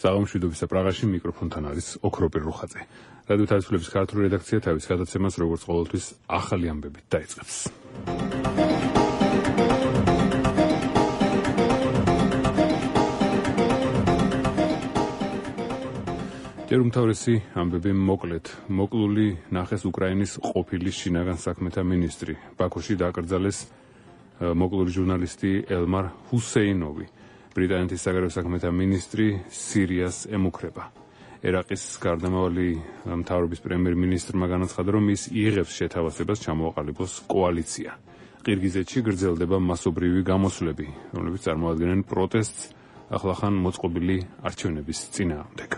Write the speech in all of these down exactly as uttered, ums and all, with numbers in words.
საღამოშვიდობის პრაღაში მიკროფონთან არის ოქროპირ რუხაძე. რადიო თავისუფლების ქართული რედაქცია თავის გადაცემას როგორც ყოველთვის ახალი ამბებით დაიწყებს. ჯერ უმთავრესი ამბები მოკლედ. მოკლული ნახეს უკრაინის ყოფილი შინაგან საქმეთა მინისტრი. ბაქოში დააკრძალეს მოკლული ჟურნალისტი ელმარ ჰუსეინოვი. ბრიტანეთის საგარეო საქმეთა მინისტრი სირიას ემუქრება. ერაყის გარდამავალი მთავრობის პრემიერ-მინისტრმა განაცხადა, რომ ის იღებს შეთავაზებას ჩამოაყალიბოს კოალიცია. ყირგიზეთში გრძელდება მასობრივი გამოსვლები, რომლებიც წარმოადგენენ პროტესტს ახლახან მოწყობილი არჩევნების წინააღმდეგ.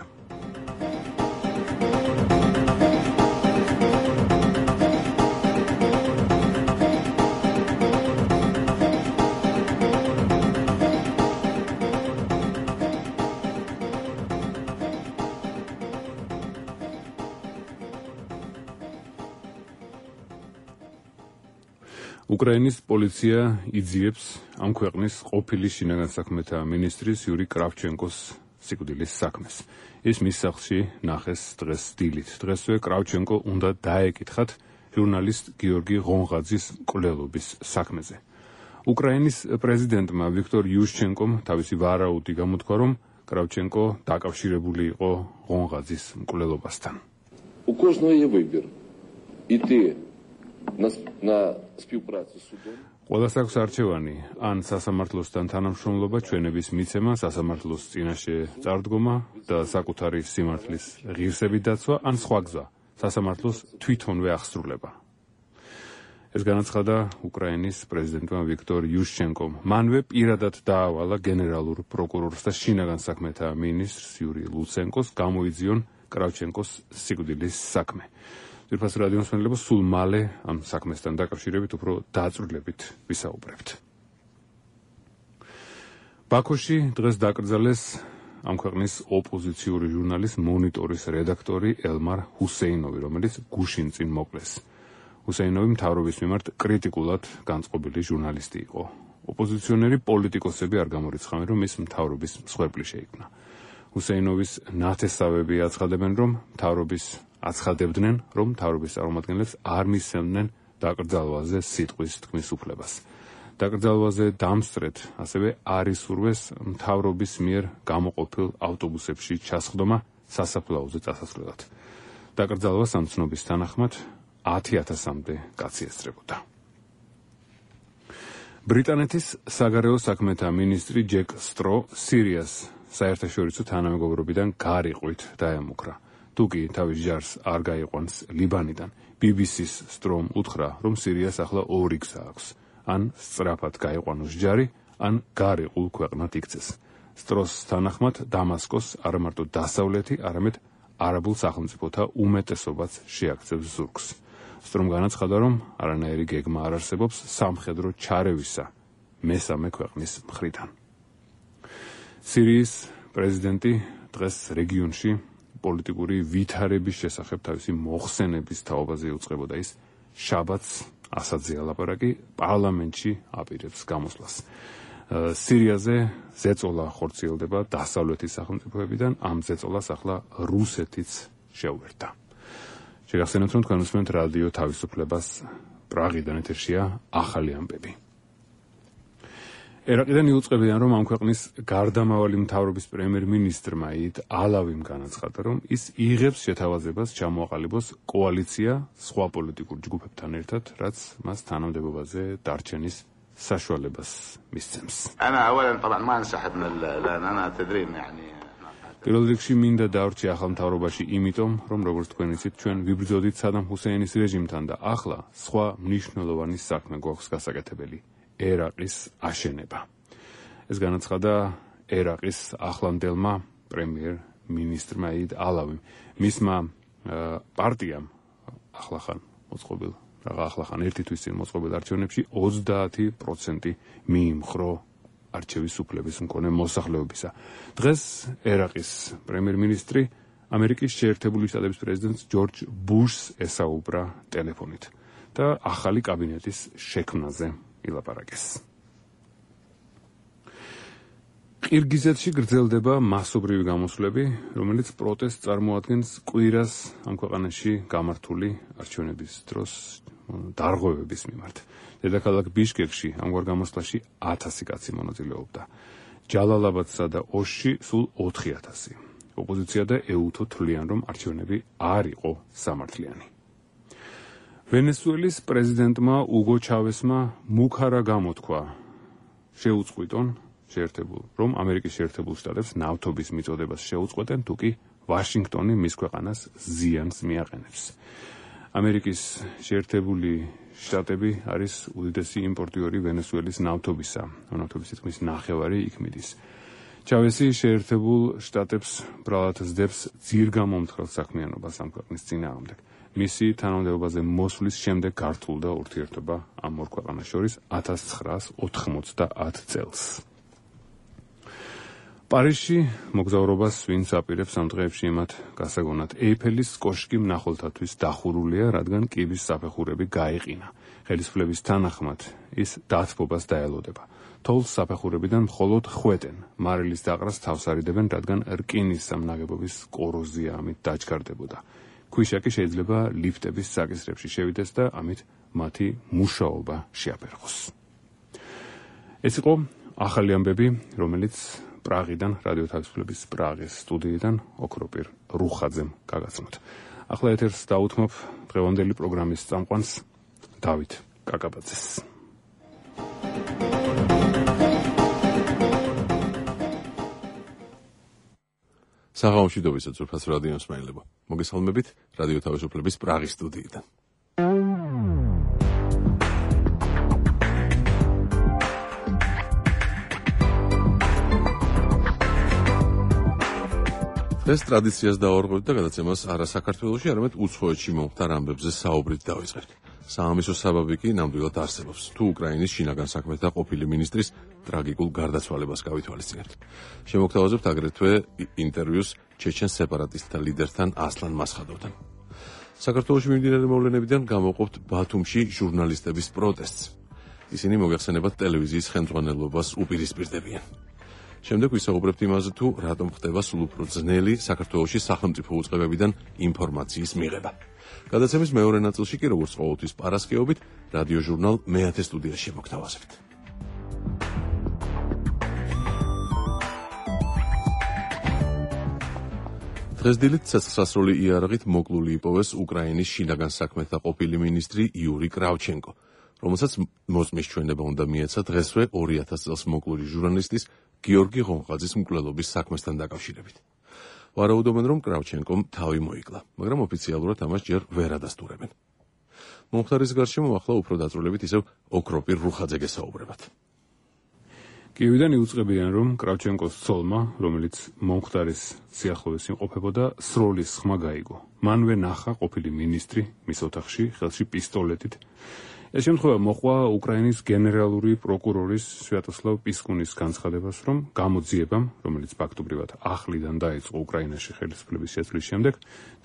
უკრაინის პოლიცია იძიებს ამ ქვეყნის ყოფილი შინაგან საქმეთა მინისტრის იური კრავჩენკოს სიკვდილის საქმეს. ის მის სახლში ნახეს დღეს დილით. დღესვე კრავჩენკო უნდა დაეკითხათ ჟურნალისტ გიორგი ღონღაძის მკვლელობის საქმეზე. უკრაინის პრეზიდენტმა ვიქტორ იუშჩენკომ თავისი ვარაუდი გამოთქვა, რომ კრავჩენკო დაკავშირებული იყო ღონღაძის მკვლელობასთან. У кожного є вибір іти на на співпрацю з судом. ყველას აქვს არჩევანი, ან სასამართლოსთან თანამშრომლობა, ჩვენების მიცემა, სასამართლოს წინაშე წარდგომა და საკუთარი სიმართლის ღირსებით დაცვა, ან სხვა გზა, სასამართლოს თვითონვე აღსრულება. ეს განაცხადა უკრაინის პრეზიდენტმა ვიქტორ იუშჩენკომ. მანვე პირადად დაავალა გენერალურ პროკურორს და შინაგან საქმეთა მინისტრს იური ლუცენკოს გამოიძიონ კრავჩენკოს სიკვდილის საქმე. ძვირფას რადიოს მსმენელებო, სულ მალე ამ საქმესთან დაკავშირებით უფრო დაწვრილებით ვისაუბრებთ. ბაქოში დღეს დაკრძალეს ამ ქვეყნის ოპოზიციური ჟურნალის მონიტორის რედაქტორი ელმარ ჰუსეინოვი, რომელიც გუშინ წინ მოკლეს. ჰუსეინოვი მთავრობის მიმართ კრიტიკულად განწყობილი ჟურნალისტი იყო. ოპოზიციონერი პოლიტიკოსები არ გამორიცხავენ, რომ ის მთავრობის მსხვერპლი შეიქმნა. ჰუსეინოვის ნათესავები აცხადებენ, რომ მთავრობის აცხადებდნენ, რომ მთავრობის წარმომადგენლებს არ მისცემდნენ დაკრძალვაზე სიტყვის თქმის უფლებას. დაკრძალვაზე დამსწრეთ ასევე არ ისურვეს მთავრობის მიერ გამოყოფილ ავტობუსებში ჩასხდომა სასაფლაოზე წასასვლელად. დაკრძალვას ამ ცნობის თანახმად ათი ათასამდე კაცი ესწრებოდა. ბრიტანეთის საგარეო საქმეთა მინისტრი ჯეკ სტრო სირიას საერთაშორისო თანამეგობრობიდან გარიყვით დაემუქრა. თუკი თავის ჯარს არ გაიყვანს ლიბანიდან, ბი ბი სის სტრომ უთხრა, რომ სირიას ახლა ორი გზა აქვს. ან სწრაფად გაიყვანოს ჯარი, ან გარიყულ ქვეყნად იქცეს. სტროს თანახმად დამასკოს არა მარტო დასავლეთი, არამედ არაბულ სახელმწიფოთა უმეტესობაც შეაქცევს ზურგს. სტრომ განაცხადა, რომ არანაირი გეგმა არ არსებობს სამხედრო ჩარევისა მესამე ქვეყნის მხრიდან. სირიის პრეზიდენტი დღეს რეგიონში პოლიტიკური ვითარების შესახებ თავისი მოხსენების თაობაზე იუწყებოდა. ის შაბათს ასადზე ალაპარაკი პარლამენტში აპირებს გამოსვლას. სირიაზე ზეწოლა ხორციელდება დასავლეთის სახელმწიფოებიდან, ამ ზეწოლას ახლა რუსეთიც შეუერთდა. შეგახსენებთ, რომ თქვენ უსმენთ რადიო თავისუფლებას პრაღიდან, ეთერშია ახალი ამბები. ერაყიდან იუწყებიან, რომ ამ ქვეყნის გარდამავალი მთავრობის პრემიერ-მინისტრმა იდ ალავიმ განაცხადა, რომ ის იღებს შეთავაზებას ჩამოაყალიბოს კოალიცია სხვა პოლიტიკურ ჯგუფებთან ერთად, რაც მას თანამდებობაზე დარჩენის საშუალებას მისცემს. პირველ რიგში მინდა დავრჩი ახალ მთავრობაში იმიტომ, რომ როგორც თქვენ იცით, ჩვენ ვიბრძოდით სადამ ჰუსეინის რეჟიმთან და ახლა სხვა მნიშვნელოვანი საქმე გვაქვს გასაკეთებელი. ერაყის აშენება. ეს განაცხადა ერაყის ახლანდელმა პრემიერ-მინისტრმა იდ ალავიმ. მისმა პარტიამ ახლახან მოწყობილ, რაღა ახლახან ერთი თვის წინ მოწყობილ არჩევნებში ოცდაათი პროცენტი მიიმხრო არჩევის უფლების მქონე მოსახლეობისა. დღეს ერაყის პრემიერ-მინისტრი ამერიკის შეერთებული შტატების პრეზიდენტს ჯორჯ ბუშს ესაუბრა ტელეფონით. და ახალი კაბინეტის შექმნაზე ილაპარაკეს. ყირგიზეთში გრძელდება მასობრივი გამოსვლები, რომელიც პროტესტს წარმოადგენს კვირას ამ ქვეყანაში გამართული არჩევნების დროს დარღვევების მიმართ. დედაქალაქ ბიშკეკში ამგვარ გამოსვლაში ათასი კაცი მონაწილეობდა. ჯალალაბადსა და ოში სულ ოთხი ათასი. ოპოზიცია და ეუთო თვლიან, რომ არჩევნები არ იყო სამართლიანი. ვენესუელის პრეზიდენტმა უგო ჩავესმა მუქარა გამოთქვა შეუწყვიტონ შეერთებულ, რომ ამერიკის შეერთებულ შტატებს ნავთობის მიწოდებას შეუწყვეტენ, თუკი ვაშინგტონი მის ქვეყანას ზიანს მიაყენებს. ამერიკის შეერთებული შტატები არის უდიდესი იმპორტიორი ვენესუელის ნავთობისა, ნავთობის თითქმის ნახევარი იქ მიდის. ჩავესი შეერთებულ შტატებს ბრალად სდებს ძირგამომთხრელ საქმიანობას ამ ქვეყნის წინააღმდეგ. მისი თანამდებობაზე მოსვლის შემდეგ გართულდა ურთიერთობა ამ ორ ქვეყანას შორის ათას ცხრაას ოთხმოცდაათ წელს. პარიზში მოგზაურობას ვინც აპირებს ამ დღეებში იმათ გასაგონად ეიფელის კოშკი მნახველთათვის დახურულია, რადგან კიბის საფეხურები გაეყინა. ხელისუფლების თანახმად ის დათბობას დაელოდება. თოვლს საფეხურებიდან მხოლოდ ხვეტენ, მარილის დაყრას თავს არიდებენ, რადგან რკინის სამნაგებობის კოროზია ამით დაჩქარდებოდა. ქვიშაკი შეიძლება ლიფტების საკისრებში შევიდეს და ამით მათი მუშაობა შეაფერხოს. ეს იყო ახალი ამბები, რომელიც პრაღიდან, რადიო თავისუფლების პრაღის სტუდიიდან ოქროპირ რუხაძემ გაგაცნოთ. ახლა ეთერს დაუთმობ დღევანდელი პროგრამის წამყვანს დავით კაკაბაძეს. საღამოშიდობისა ძვირფას რადიო მსმენელებო. მოგესალმებით რადიო თავისუფლების პრაღის სტუდიიდან. ეს ტრადიციას დავარღვევთ და გადაცემას არა საქართველოში, არამედ უცხოეთში მომხდარ ამბებზე საუბრით დავიწყებთ. საამისო საბაბი კი ნამდვილად არსებობს. თუ უკრაინის შინაგან საქმეთა ყოფილი მინისტრის ტრაგიკულ გარდაცვალებას გავითვალისწინებთ. შემოგთავაზებთ აგრეთვე ინტერვიუს ჩეჩენ სეპარატისტთა ლიდერთან ასლან მასხადოვთან. საქართველოში მიმდინარე მოვლენებიდან გამოვყოფთ ბათუმში ჟურნალისტების პროტესტს. ისინი მოგეხსენებათ ტელევიზიის ხელმძღვანელობას უპირისპირდებიან. შემდეგ ვისაუბრებთ იმაზე, თუ რატომ ხდება სულ უფრო ძნელი საქართველოში სახელმწიფო უწყებებიდან ინფორმაციის მიღება. გადაცემის მეორე ნაწილში კი როგორც ყოველთვის პარასკევობით რადიო ჟურნალ მეათე სტუდიაში მოგთავაზებთ. დღეს დილით ცეცხლსასროლი იარაღით მოკლული იპოვეს უკრაინის შინაგან საქმეთა ყოფილი მინისტრი იური კრავჩენკო, რომელსაც მოსმის ჩვენება უნდა მიეცა დღესვე ორი ათას წელს მოკლული ჟურნალისტის გიორგი ღონღაძის მკვლელობის საქმესთან დაკავშირებით. ვარაუდობენ, რომ კრავჩენკომ თავი მოიკლა, მაგრამ ოფიციალურად ამას ჯერ ვერ ადასტურებენ. მომხდარის გარშემო ახლა უფრო დაწვრილებით ისევ ოქროპირ რუხაძე გესაუბრებათ. კიევიდან იუწყებიან, რომ კრავჩენკოს ცოლმა, რომელიც მომხდარის სიახლოვეს იმყოფებოდა, სროლის ხმა გაიგო. მანვე ნახა ყოფილი მინისტრი მის ოთახში, ხელში პისტოლეტით. ეს შემთხვევა მოყვა უკრაინის გენერალური პროკურორის სვიატოსლავ პისკუნის განცხადებას, რომ გამოძიებამ, რომელიც ფაქტობრივად ახლიდან დაიწყო უკრაინაში ხელისუფლების შეცვლის შემდეგ,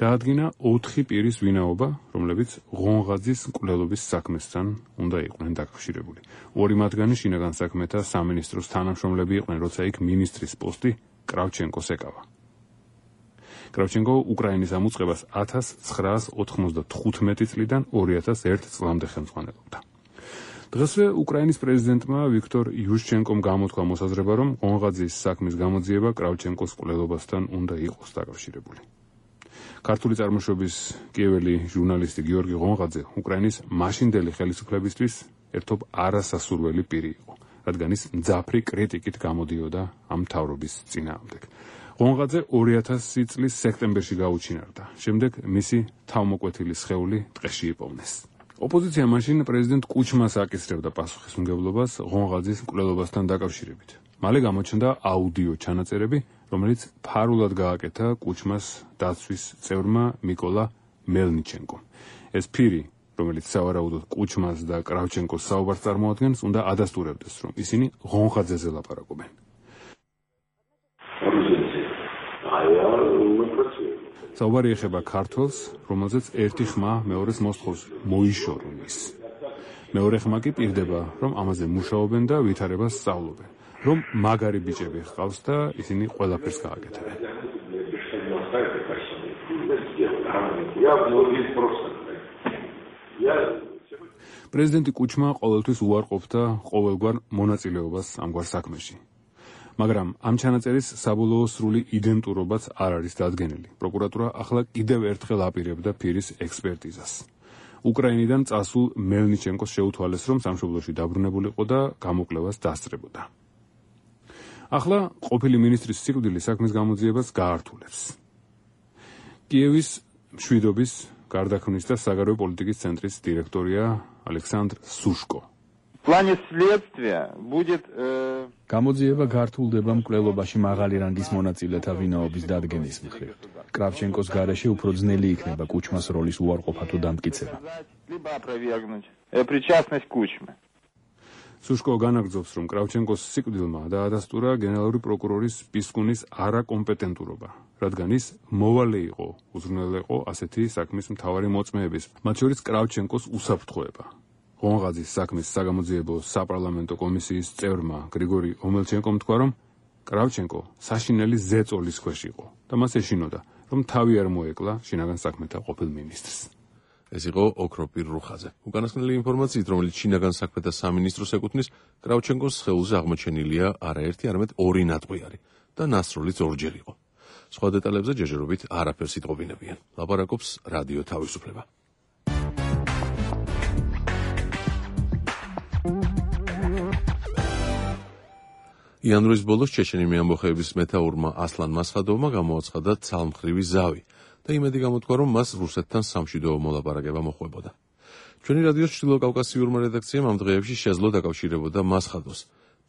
დაადგინა ოთხი პირის ვინაობა, რომლებიც ღონღაძის მკვლელობის საქმესთან უნდა იყვნენ დაკავშირებული. ორი მათგანი შინაგან საქმეთა სამინისტროს თანამშრომლები იყვნენ, როცა იქ მინისტრის პოსტი კრავჩენკოს ეკავა. კრავჩენკო უკრაინის ამ უწყებას ათას ცხრაას ოთხმოცდათხუთმეტი წლიდან ორი ათას ერთ წლამდე ხელმძღვანელობდა. დღესვე უკრაინის პრეზიდენტმა ვიქტორ იუშჩენკომ გამოთქვა მოსაზრება, რომ ღონღაძის საქმის გამოძიება კრავჩენკოს მკვლელობასთან უნდა იყოს დაკავშირებული. ქართული წარმოშობის კიეველი ჟურნალისტი გიორგი ღონღაძე უკრაინის მაშინდელი ხელისუფლებისთვის ერთობ არასასურველი პირი იყო, რადგან ის მძაფრი კრიტიკით გამოდიოდა ამ მთავრობის წინააღმდეგ. ღონღაძე ორი ათასი წლის სექტემბერში გაუჩინარდა. შემდეგ მისი თავმოკვეთილი სხეული ტყეში იპოვნეს. ოპოზიცია მაშინ პრეზიდენტ კუჩმას აკისრებდა პასუხისმგებლობას ღონღაძის მკვლელობასთან დაკავშირებით. მალე გამოჩნდა აუდიო ჩანაწერები, რომელიც ფარულად გააკეთა კუჩმას დაცვის წევრმა მიკოლა მელნიჩენკომ. ეს პირი, რომელიც სავარაუდოდ კუჩმას და კრავჩენკოს საუბარს წარმოადგენს, უნდა ადასტურებდეს, რომ ისინი ღონღაძეზე ლაპარაკობენ. საუბარი ეხება ქართველს, რომელზეც ერთი ხმა მეორეს მოსთხოვს მოიშოროს. მეორე ხმა კი პირდება, რომ ამაზე მუშაობენ და ვითარებას სწავლობენ, რომ მაგარი ბიჭები ჰყავს და ისინი ყველაფერს გააკეთებენ. პრეზიდენტი კუჩმა ყოველთვის უარყოფდა ყოველგვარ მონაწილეობას ამგვარ საქმეში. მაგრამ ამ ჩანაწერის საბოლოო სრული იდენტურობაც არ არის დადგენილი. პროკურატურა ახლა კიდევ ერთხელ აპირებდა ფირის ექსპერტიზას. უკრაინიდან წასულ მელნიჩენკოს შეუთვალეს, რომ სამშობლოში დაბრუნებულიყო და გამოკვლევას დასწრებოდა. ახლა ყოფილი მინისტრის სიკვდილი საქმის გამოძიებას გაართულებს. კიევის მშვიდობის, გარდაქმნის და საგარეო პოლიტიკის ცენტრის დირექტორია ალექსანდრ სუშკო. В плане следствия будет გამოძიება გართულდება მკვლელობაში მაღალი რანგის მონაწილეთა ვინაობის დადგენის მხრივ. კრავჩენკოს გარეშე უფრო ძნელი იქნება კუჩმას როლის უარყოფა თუ დამტკიცება. либо опровергнуть причастность Кучмы. სუშკო განაგრძობს, რომ კრავჩენკოს სიკვდილმა დაადასტურა გენერალური პროკურორის პისკუნის არაკომპეტენტურობა, რადგან ის მოვალე იყო, უზრუნველეყო ასეთი საქმის მთავარი მოწმეების, მათ შორის კრავჩენკოს უსაფრთხოება. ღონღაძის საქმის საგამოძიებო საპარლამენტო კომისიის წევრმა გრიგორი ომელჩენკომ თქვა, რომ კრავჩენკო საშინელი ზეწოლის ქვეშ იყო და მას ეშინოდა, რომ თავი არ მოეკლა შინაგან საქმეთა ყოფილ მინისტრს. ეს იყო ოქროპირ რუხაძე. უკანასკნელი ინფორმაციით, რომელიც შინაგან საქმეთა სამინისტროს ეკუთვნის, კრავჩენკოს სხეულზე აღმოჩენილია არაერთი, არამედ ორი ნატყვიარი და ნასროლიც ორჯერ იყო. სხვა დეტალებზე ჯერჯერობით არაფერს იტყობინებიან. ლაპარაკობს რადიო თავისუფლება. იანვრის ბოლოს ჩეჩენიმი ამბოხეების მეთაურმა ასლან მასხადოვმა გამოაცხადა ცალმხრივი ზავი და იმედი გამოთქვა, რომ მას რუსეთთან სამშვიდობო მოლაპარაკება მოჰყვებოდა. ჩვენი რადიოს ჩრდილოკავკასიურმა რედაქციამ ამ დღეებში შეძლო დაკავშირებოდა მასხადოს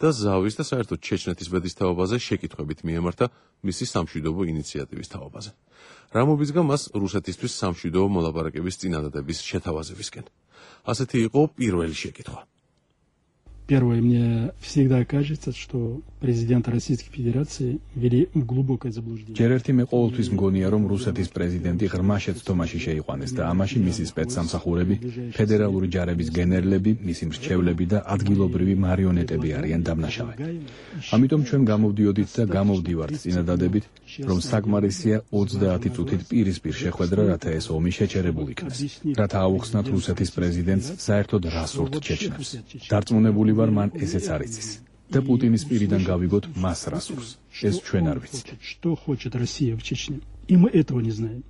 და ზავის და საერთოდ ჩეჩნეთის ბედის თაობაზე შეკითხვებით მიემართა მისი სამშვიდობო ინიციატივის თაობაზე. რა მობიძგა მას რუსეთისთვის სამშვიდობო მოლაპარაკების წინადადების შეთავაზებისკენ. ასეთი იყო პირველი შეკითხვა. Первое, мне всегда кажется, что президент Российской Федерации ввели в глубокое заблуждение. ჯერ ერთი მე ყოველთვის მგონია, რომ რუსეთის პრეზიდენტი ღრმა შეცდომაში შეიყვანეს და ამაში მისი სპეცსამსახურები, ფედერალური ჯარების გენერლები, მისი მრჩევლები და ადგილობრივი მარიონეტები არიან დამნაშავე. ამიტომ ჩვენ გამოვდიოდით და გამოვდივართ წინადადებით, რომ საკმარისია ოცდაათი წუთით პირისპირ შეხვედრა, რათა ეს ომი შეჩერებულ იქნეს. რათა აუხსნათ რუსეთის პრეზიდენტს საერთოდ რა სურთ ჩეჩნებს. დარწმუნებული ვარ, მან ესეც არ იცის. და პუტინის პირიდან გავიგოთ მას რა სურს. ეს ჩვენ არ ვიცით. Что хочет Россия в Чечне? И мы этого не знаем.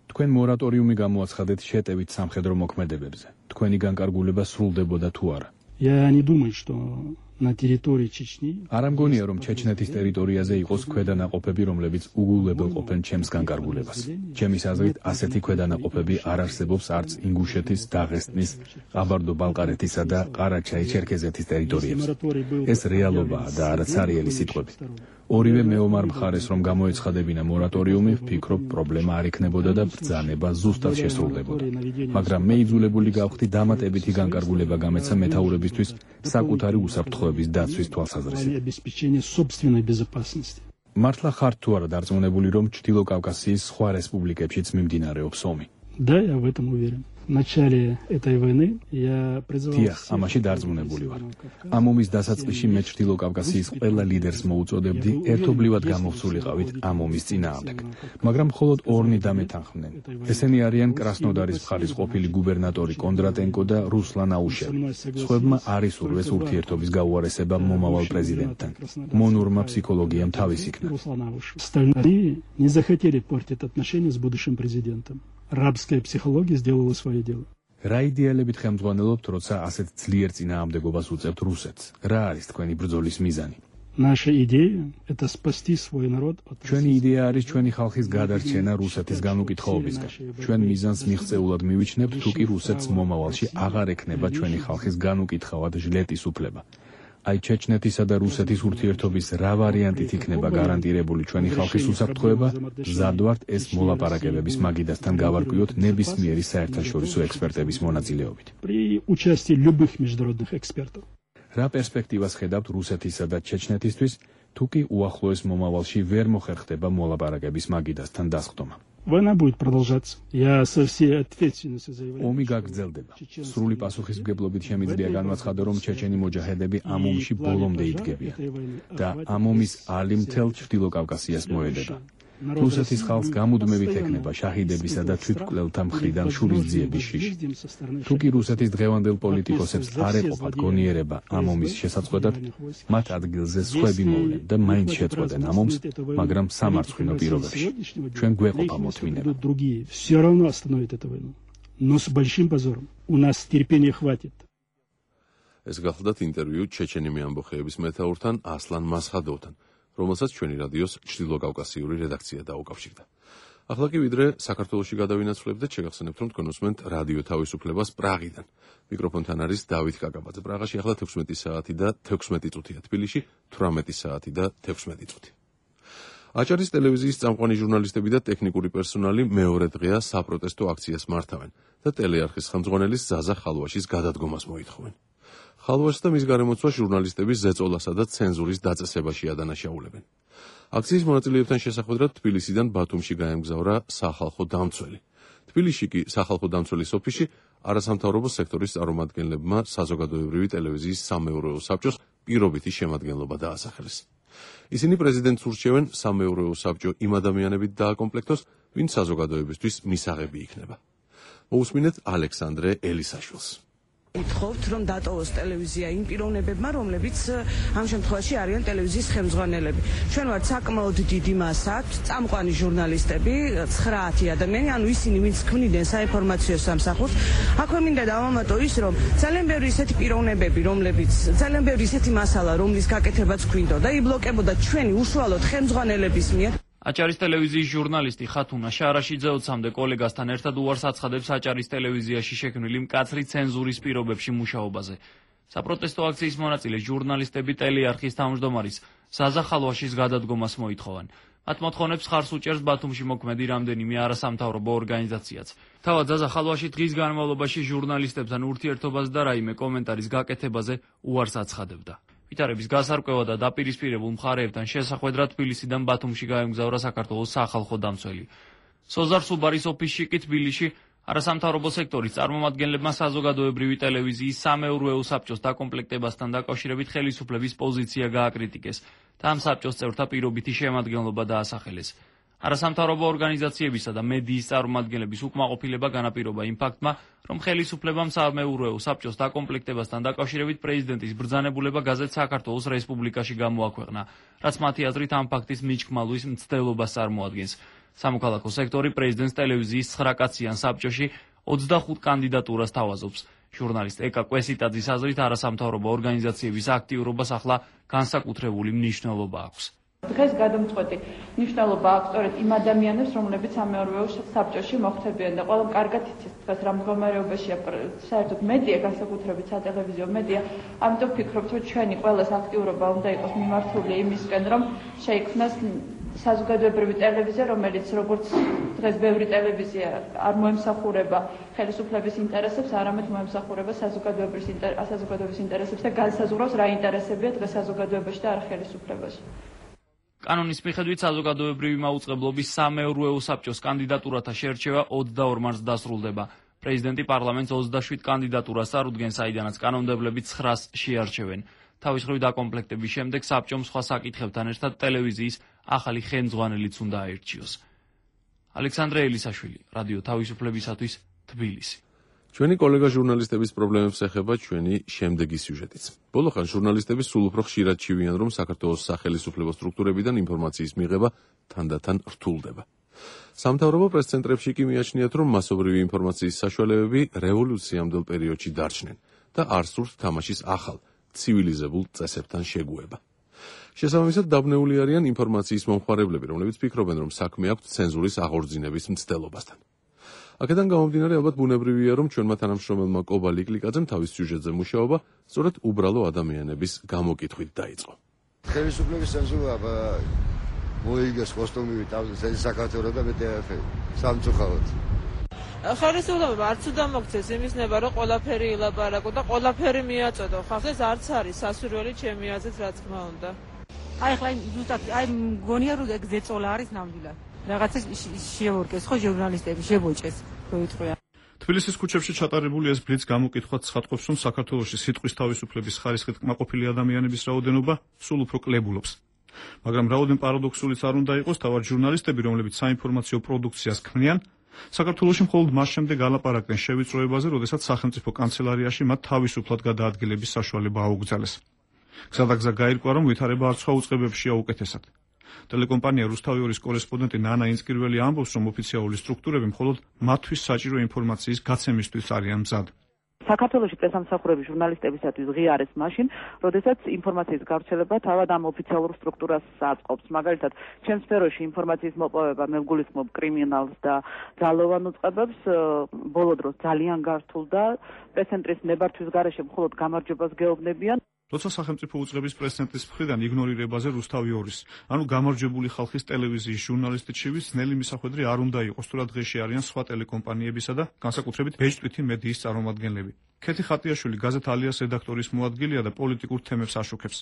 თქვენ მორატორიუმი გამოაცხადეთ შეტევით სამხედრო მოქმედებებზე. თქვენი განკარგულება სრულდებოდა თუ არა? Я не думаю, что на территории Чечни არ ამგონია, რომ ჩეჩნეთის ტერიტორიაზე იყოს ქვედანაყოფები, რომლებიც უგულებელყოფენ ჩემს განკარგულებას. ჩემის აზრით, ასეთი ქვედანაყოფები არ არსებობს არც ინგუშეთის, დაღესტნის, ყაბარდო-ბალყარეთისა და ყარაჩაი-ჩერქეზეთის ტერიტორიებზე. ეს რეალობაა და არა ცარიელი სიტყვები. ორივე მეომარ მხარეს რომ გამოეცხადებინა მორატორიუმი, ვფიქრობ, პრობლემა არ იქნებოდა და ბრძანება ზუსტად შესრულდებოდა. მაგრამ მე იძულებული გავხდი დამატებითი განკარგულება გამეცა მეთაურებისთვის საკუთარი უსაფრთხოების დაცვის თვალსაზრისით. მართლა ხართ თუ არა დარწმუნებული, რომ ჩრდილო კავკასიის სხვა რესპუბლიკებშიც მიმდინარეობს ომი? Да, я в этом уверен. В начале этой войны я призывал Тиახ, ამაში დარწმუნებული ვარ. ამ ომის დასაწყისში მე ჩრდილო კავკასიის ყველა ლიდერს მოუწოდებდი ერთობლივად გამოვსულიყავით ამ ომის წინააღმდეგ. მაგრამ მხოლოდ ორნი დამეთანხმდნენ. ესენი არიან კრასნოდარის მხარის ყოფილი გუბერნატორი კონდრატენკო და რუსლან აუშევი. სხვებმა არ ისურვეს ურთიერთობის გაუარესება მომავალ პრეზიდენტთან. მონურმა ფსიქოლოგიამ თავის იქნა. Остальные не захотели портить отношения с будущим президентом. Рабская психология сделала свое дело. რა იდეალებით ხელმძღვანელობთ, როცა ასეთ ძლიერ წინააღმდეგობას უწევთ რუსეთს? რა არის თქვენი ბრძოლის მიზანი? Наша идея это спасти свой народ от ჩვენი იდეა არის ჩვენი ხალხის გადარჩენა რუსეთის განუკითხაობისგან. ჩვენ მიზანს მიღწეულად მივიჩნევთ, თუ კი რუსეთს მომავალში აღარ ექნება ჩვენი ხალხის განუკითხავად ჟლეტის უფლება. აი ჩეჩნეთისა და რუსეთის ურთიერთობის რა ვარიანტით იქნება გარანტირებული ჩვენი ხალხის უსაფრთხოება, მზად ვართ ეს მოლაპარაკებების მაგიდასთან გავარკვიოთ ნებისმიერი საერთაშორისო ექსპერტების მონაწილეობით. При участии любых международных экспертов. რა პერსპექტივას ხედავთ რუსეთისა და ჩეჩნეთისთვის, თუ კი უახლოეს მომავალში ვერ მოხერხდება მოლაპარაკების მაგიდასთან დასხდომა? Война будет продолжаться. Я со всей ответственностью заявляю. ომი გაგრძელდება. სრული პასუხისმგებლობით შემიძლია განვაცხადო, რომ ჩეჩენი მოჯაჰედები ამ ომში ბოლომდე იდგებიან და ამ ომის ალი მთელ ჩრდილო კავკასიას მოედება. რუსეთის ხალხს გამუდმებით ექნება შაჰიდებისა და თვითმკვლელთა მხრიდან შურისძიების შიში. თუ კი რუსეთის დღევანდელ პოლიტიკოსებს არ ეყოფათ გონიერება ამ ომის შესაძყვედად, მათ ადგილზე სხვები მოვლენ და მაინც შეწყვეტენ ამ ომს, მაგრამ სამარცხვინო პირობებში. ჩვენ გვეყოფა მოთმინება. Все равно остановит эту войну. Но с большим позором. У нас терпения хватит. ეს გახლდათ ინტერვიუ ჩეჩენიმი ამბოხეების მეთაურთან ასლან მასხადოვთან, რომელსაც ჩვენი რადიოს ჩრდილოკავკასიური რედაქცია დაუკავშირდა. ახლა კი ვიდრე საქართველოში გადავინაცვლებდეთ, შეგახსენებთ, რომ თქვენ უსმენთ რადიო თავისუფლებას პრაღიდან. მიკროფონთან არის დავით კაკაბაძე. პრაღაში ახლა თექვსმეტი საათი და თექვსმეტი წუთია, თბილისში თვრამეტი საათი და თექვსმეტი წუთი. აჭარის ტელევიზიის წამყვანი ჟურნალისტები და ტექნიკური პერსონალი მეორე დღეა საპროტესტო აქციას მართავენ და ტელეარხის ხელმძღვანელის ზაზა ხალვაშის გადადგომას მოითხოვენ. ხალვაშს და მის გარემოცვას ჟურნალისტების ზეწოლასა და ცენზურის დაწესებაში ადანაშაულებენ. აქციის მონაწილეებთან შესახვედრად თბილისიდან ბათუმში გაემგზავრა სახალხო დამცველი. თბილისში კი სახალხო დამცველის ოფისში არასამთავრობო სექტორის წარმომადგენლებმა საზოგადოებრივი ტელევიზიის სამეურვეო საბჭოს პირობითი შემადგენლობა დაასახელეს. ისინი პრეზიდენტს ურჩევენ სამეურვეო საბჭო იმ ადამიანებით დააკომპლექტოს, ვინც საზოგადოებისთვის მისაღები იქნება. მოусმინეთ ალექსანდრე ელისაშვილს. ითხოვთ, რომ დატოვოს ტელევიზია იმ პიროვნებებმა, რომლებიც ამ შემთხვევაში არიან ტელევიზიის ხელმძღვანელები. ჩვენ ვართ საკმაოდ დიდი მასა, წამყვანი ჟურნალისტები, ცხრაათი ადამიანი, ანუ ისინი, ვინც ქმნიდნენ საინფორმაციო სამსახურს. აქვე მინდა დავამატო ის, რომ ძალიან ბევრი ისეთი პიროვნებები, რომლებიც ძალიან ბევრი ისეთი მასალა, რომლის გაკეთებაც გვინდა და იბლოკებოდა ჩვენი უშუალოდ ხელმძღვანელების მიერ. აჭარის ტელევიზიის ჟურნალისტი ხათუნა შარაშიძე ოცამდე კოლეგასთან ერთად უარს აცხადებს აჭარის ტელევიზიაში შექმნილი მკაცრი ცენზურის პირობებში მუშაობაზე. საპროტესტო აქციის მონაწილე ჟურნალისტები ტელეარხის თავმჯდომარის ზაზა ხალვაშის გადადგომას მოითხოვენ. მათ მოთხოვნებს ხარს უჭერს ბათუმში მოქმედი რამდენიმე არასამთავრობო ორგანიზაციაც. თავად ზაზა ხალვაში დღის განმავლობაში ჟურნალისტებთან ურთიერთობას და რაიმე კომენტარის გაკეთებაზე უარს აცხადებდა. ვითარების გასარკვევა და დაპირისპირებულ მხარეებთან შესახვედრად თბილისიდან ბათუმში გაემგზავრა საქართველოს სახალხო დამცველი. სოზარ სუბარის ოფისში კი თბილისში არასამთავრობო სექტორის წარმომადგენლებმა საზოგადოებრივი ტელევიზიის სამეურვეო საბჭოს დაკომპლექტებასთან დაკავშირებით ხელისუფლების პოზიცია გააკრიტიკეს და ამ საბჭოს წევრთა პირობითი შემადგენლობა დაასახელეს. არასამთავრობო ორგანიზაციებისა და მედიის წარმომადგენლების უკმაყოფილება განაპირობა იმ ფაქტმა, რომ ხელისუფლებამ სამეურვეო საბჭოს დაკომპლექტებასთან დაკავშირებით პრეზიდენტის ბრძანებულება გაზეთ საქართველოს რესპუბლიკაში გამოაქვეყნა, რაც მათი აზრით ამ ფაქტის მიჩქმალვის მცდელობას წარმოადგენს. სამოქალაქო სექტორი პრეზიდენტს ტელევიზიის ცხრაკაციან საბჭოში ოცდახუთ კანდიდატურას თავაზობს. ჟურნალისტ ეკა კვესიტაძის აზრით არასამთავრობო ორგანიზაციების აქტიურობას ახლა განსაკუთრებული მნიშვნელობა აქვს. დღეს გადამწყვეტი მნიშვნელობა აქვს სწორედ იმ ადამიანებს, რომლებიც სამეურვეო საბჭოში მოხვდებიან და ყველამ კარგად იცის დღეს რა მდგომარეობაშია საერთოდ მედია, განსაკუთრებით სატელევიზიო მედია. ამიტომ ვფიქრობ, რომ ჩვენი ყველას აქტიურობა უნდა იყოს მიმართული იმისკენ, რომ შეიქმნას საზოგადოებრივი ტელევიზია, რომელიც როგორც დღეს ბევრი ტელევიზია არ მოემსახურება ხელისუფლების ინტერესებს, არამედ მოემსახურება საზოგადოების ინტერესებს და განსაზღვრავს რა ინტერესებია დღეს საზოგადოებაში და არა ხელისუფლებაში. კანონის მიხედვით საზოგადოებრივი მაუწყებლობის სამეურვეო საბჭოს კანდიდატურათა შერჩევა ოცდაორ მარტს დასრულდება. პრეზიდენტი პარლამენტს ოცდაშვიდ კანდიდატურას წარუდგენს, საიდანაც კანონმდებლები ცხრას შეარჩევენ. თავის მხრივ დაკომპლექტების შემდეგ საბჭომ სხვა საკითხებთან ერთად ტელევიზიის ახალი ხელმძღვანელიც უნდა აერჩიოს. ალექსანდრე ელისაშვილი, რადიო თავისუფლებისათვის, თბილისი. ჩვენი კოლეგა ჟურნალისტების პრობლემებს ეხება ჩვენი შემდეგი სიუჟეტიც. ბოლოხან ჟურნალისტები სულ უფრო ხშირად ჩივიან, რომ საქართველოს სახელისუფლებო სტრუქტურებიდან ინფორმაციის მიღება თანდათან რთულდება. სამთავრობო პრესცენტრებში კი მიაჩნიათ, რომ მასობრივი ინფორმაციის საშუალებები რევოლუციამდელ პერიოდში დარჩნენ და არ სურთ თამაშის ახალ, ცივილიზებულ წესებთან შეგუება. შესაბამისად დაბნეული არიან ინფორმაციის მომხმარებლები, რომლებიც ფიქრობენ, რომ საქმე აქვთ ცენზურის აღორძინების მცდელობასთან. აქედან გამომდინარე, ალბათ ბუნებრივია, რომ ჩვენმა თანამშრომელმა კობა ლიკლიკაძემ თავის სიუჟეტზე მუშაობა სწორედ უბრალო ადამიანების გამოკითხვით დაიწყო. ხელისუფლების ცენზურა მოიგეს კოსტუმივით საქართველოს და მეტეაფე სამწუხაროდ. ხელისუფლება არც უნდა მოგცეს იმის ნება, რომ ყველაფერი ილაპარაკო და ყველაფერი მიაწოდო. ხახს ეს არც არის სასურველი ჩემი აზრით, რა თქმა უნდა. აი ხლა ზუსტად აი მგონია რომ ეგ ზეწოლა არის ნამდვილად. რაღაცა შეურკეს ხო ჟურნალისტები შებოჭეს როიტყვია. თბილისის ქუჩებში ჩატარებული ეს ბლიც გამოკითხვაც ცხადყოფს, რომ საქართველოში სიტყვის თავისუფლების ხარისხით კმაყოფილი ადამიანების რაოდენობა სულ უფრო კლებულობს. მაგრამ რაოდენ პარადოქსულიც არ უნდა იყოს, თავად ჟურნალისტები, რომლებიც საინფორმაციო პროდუქციას ქმნიან, საქართველოში მხოლოდ მას შემდეგ ალაპარაკდნენ შევიწროებაზე, როდესაც სახელმწიფო კანცელარიაში მათ თავისუფლად გადაადგილების საშუალება აუგზავნეს. გზადაგზა გაირკვა, რომ ვითარება არ სხვა უწყებებშია უკეთესად. ტელეკომპანია რუსთავიორის კორესპონდენტი ნანა ინსკირველი ამბობს, რომ ოფიციალური სტრუქტურები მხოლოდ მათთვის საჭირო ინფორმაციის გაცემისთვის არიან მზად. საქართველოში პრესამსახურები ჟურნალისტებისათვის ღიარეს მაშინ, როდესაც ინფორმაციის გავრცელება თავად ამ ოფიციალურ სტრუქტურას აწყობს. მაგალითად, ჩემს სფეროში ინფორმაციის მოპოვება მე ვგულისხმობ კრიმინალს და ძალოვან უწყებებს, ბოლო დროს ძალიან გართულდა. პრესცენტრის ნებართვის გარეშე მხოლოდ გამარჯვებას გეუბნებიან. როცა სახელმწიფო უწყების პრესცენტრის მხრიდან იგნორირებაზე რუსთავიორის, ანუ გამარჯვებული ხალხის ტელევიზიის ჟურნალისტი ჩივის ძნელი მისახვედრი არ უნდა იყოს, თუ რა დღეში არიან სხვა ტელეკომპანიებისა და განსაკუთრებით ბეჭდვითი მედიის წარმომადგენლები. ქეთი ხატიაშვილი გაზეთ ალიას რედაქტორის მოადგილეა და პოლიტიკურ თემებს აშუქებს.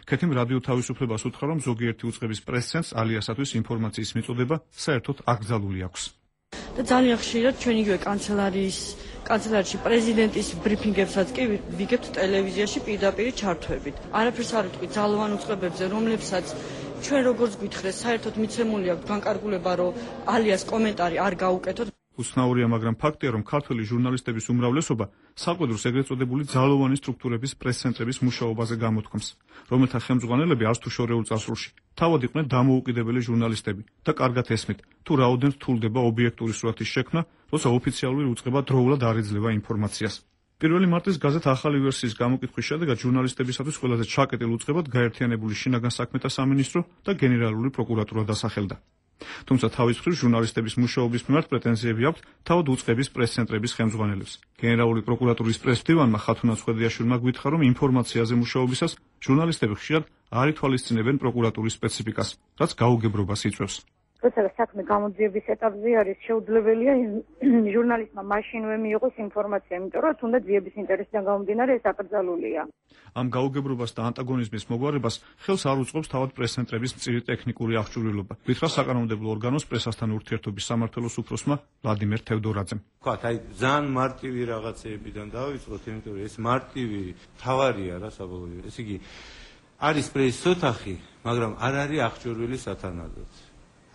ქეთიმ რადიო თავისუფლებას უთხრა, რომ ზოგიერთი უწყების პრესცენტს ალიასათვის ინფორმაციის მიწოდება საერთოდ აკრძალული აქვს. და ძალიან ხშირად ჩვენ იგივე კანცელარიის კანცელარიაში პრეზიდენტის ბრიფინგებსაც კი ვიგებთ ტელევიზიაში პირდაპირ ჩართვებით. არაფერს არ ვიტყვი ძალოვან უწყებებზე, რომლებსაც ჩვენ როგორც გვითხრეს, საერთოდ მიცემული აქვს განკარგულება, რომ ალიას კომენტარი არ გაუკეთოთ. უცნაურია, მაგრამ ფაქტია, რომ ქართველი ჟურნალისტების უმრავლესობა საკვედურს ეგრეთ წოდებული ძალოვანი სტრუქტურების პრესცენტრების მუშაობაზე გამოთქვამს, რომელთა ხელმძღვანელები არც თუ შორეულ წარსულში თავად იყვნენ დამოუკიდებელი ჟურნალისტები და კარგად ესმით, თუ რაოდენ რთულდება ობიექტური სურათის შექმნა, როცა ოფიციალური უწყება დროულად არ ეძლევა ინფორმაციას. პირველი მარტის გაზეთ ახალი ვერსიის გამოკითხვის შედეგად ჟურნალისტებისათვის ყველაზე ჩაკეტილ უწყებად გაერთიანებული შინაგან საქმეთა სამინისტრო და გენერალური პროკურატურა დასახელდა. თუმცა თავის მხრივ ჟურნალისტების მუშაობის მიმართ პრეტენზიები აქვთ თავად უწყების პრესცენტრების ხელმძღვანელებს. გენერალური პროკურატურის პრესდივანმა ხათუნა ცხვედიაშვილმა გვითხრა, რომ ინფორმაციაზე მუშაობისას ჟურნალისტები ხშირად არ ითვალისწინებენ პროკურატურის სპეციფიკას, რაც გაუგებრობას იწვევს. როცა საქმე გამოძიების ეტაპზე არის, შეუძლებელია ჟურნალისტმა მაშინვე მიიღოს ინფორმაცია, იმიტომ რომ თუნდაც ძიების ინტერესიდან გამომდინარე ეს აკრძალულია. ამ გაუგებრობას და ანტაგონიზმის მოგვარებას ხელს არ უწყობს თავად პრესცენტრების მწირი ტექნიკური აღჭურვილობა. გითხრა საკანონმდებლო ორგანოს პრესასთან ურთიერთობის სამმართველოს უფროსმა ვლადიმერ თევდორაძემ. ვთქვათ, აი ძალიან მარტივი რაღაცეებიდან დავიწყოთ, იმიტომ რომ ეს მარტივი თავარია რა საბოლოო. ესე იგი არის პრესის ოთახი, მაგრამ არ არის აღჭურვილი სათანადოდ.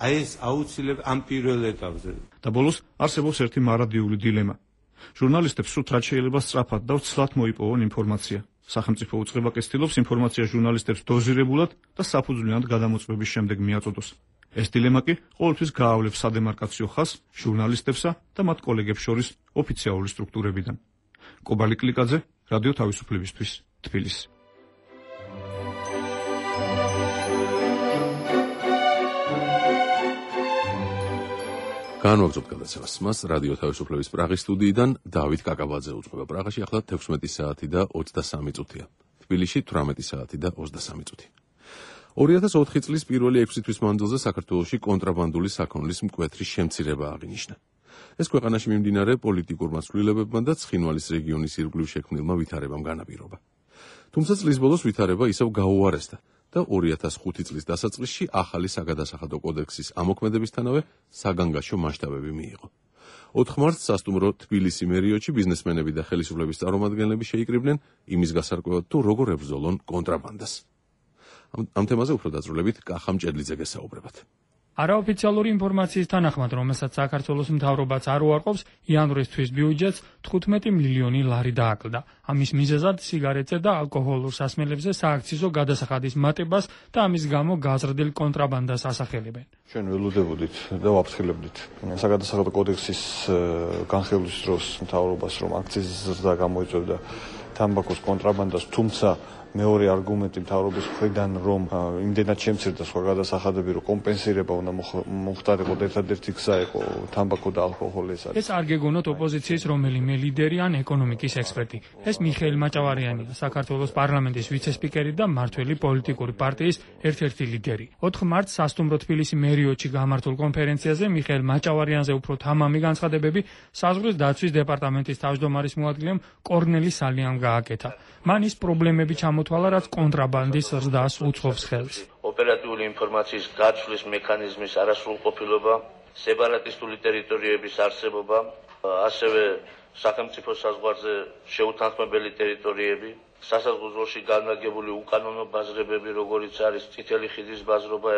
აი ეს აუცილებლად ამ პირველ ეტაპზე. და ბოლოს არსებობს ერთი მარადიული დილემა. ჟურნალისტებს სულ რაც შეიძლება სწრაფად და ცლად მოიპოვონ ინფორმაცია. სახელმწიფო უწყება კი ცდილობს ინფორმაცია ჟურნალისტებს დოზირებულად და საფუძვლიანად გადამოწმების შემდეგ მიაწოდოს. ეს დილემა კი ყოველთვის გაავლებს სადემარკაციო ხაზს ჟურნალისტებსა და მათ კოლეგებს შორის ოფიციალური სტრუქტურებიდან. კობალი კლიკაძე, რადიო თავისუფლებისთვის, თბილისი. განვაგრძობთ გადაცემას. მას რადიო თავისუფლების პრაღის სტუდიიდან დავით კაკაბაძე უძღვება. პრაღაში ახლა თექვსმეტი საათი და ოცდასამი წუთია. თბილისში თვრამეტი საათი და ოცდასამი წუთი. ორი ათას ოთხი წლის პირველი ექვსი თვის მანძილზე საქართველოში კონტრაბანდული საქონლის მკვეთრი შემცირება აღინიშნა. ეს ქვეყანაში მიმდინარე პოლიტიკურმა ცვლილებებმა და ცხინვალის რეგიონის ირგვლივ შექმნილმა ვითარებამ განაპირობა. თუმცა წლის ბოლოს ვითარება ისევ გაუარესდა და ორი ათას ხუთი წლის დასაწყისში ახალი საგადასახადო კოდექსის ამოქმედებისთანავე საგანგაშო მასშტაბები მიიღო. ოთხ მარტს სასტუმრო თბილისი მერიოჩი ბიზნესმენები და ხელისუფლების წარმომადგენლები შეიკრიბნენ იმის გასარკვევად, თუ როგორ ებრძოლონ კონტრაბანდას. ამ, ამ თემაზე უფრო დაწვრილებით კახა მჭედლიძე გესაუბრებათ. არაოფიციალური ინფორმაციის თანახმად, რომელსაც საქართველოს მთავრობაც არ უარყოფს, იანვრისთვის ბიუჯეტს თხუთმეტი მილიონი ლარი დააკლდა. ამის მიზეზად სიგარეტზე და ალკოჰოლურ სასმელებზე სააქციზო გადასახადის მატებას და ამის გამო გაზრდილ კონტრაბანდას ასახელებენ. ჩვენ ველოდებოდით და ვაფრთხილებდით საგადასახადო კოდექსის განხილვის დროს მთავრობას, რომ აქციზის ზრდა გამოიწვევდა თამბაქოს კონტრაბანდას, თუმცა მეორე არგუმენტი მთავრობის მხრიდან, რომ იმდენად შემცირდა სხვა გადასახადები, რომ კომპენსირება უნდა მოხდარიყო და ერთადერთი გზა იყო თამბაქო და ალკოჰოლი. ეს არ გეგონოთ ოპოზიციის რომელიმე ლიდერი ან ეკონომიკის ექსპერტი. ეს მიხეილ მაჭავარიანია, საქართველოს პარლამენტის ვიცე-სპიკერი და მმართველი პოლიტიკური პარტიის ერთ-ერთი ლიდერი. ოთხ მარტს სასტუმრო თბილისი მერიოჩი გამართულ კონფერენციაზე მიხეილ მაჭავარიანზე უფრო თამამი განცხადებები საზღვრის დაცვის დეპარტამენტის თავმჯდომარის მოადგილემ კორნელი სალიამ გააკეთა. მან ის პრობლემები ჩამოთვალა, რაც კონტრაბანდის ზრდას უწყობს ხელს. ოპერატიული ინფორმაციის გაცვლის მექანიზმის არასრულყოფილობა, სეპარატისტული ტერიტორიების არსებობა, ასევე სახელმწიფო საზღვარზე შეუთანხმებელი ტერიტორიები, სასაზღვრო-ზოლში განლაგებული უკანონო ბაზრებები, როგორიც არის წითელი ხიდის ბაზრობა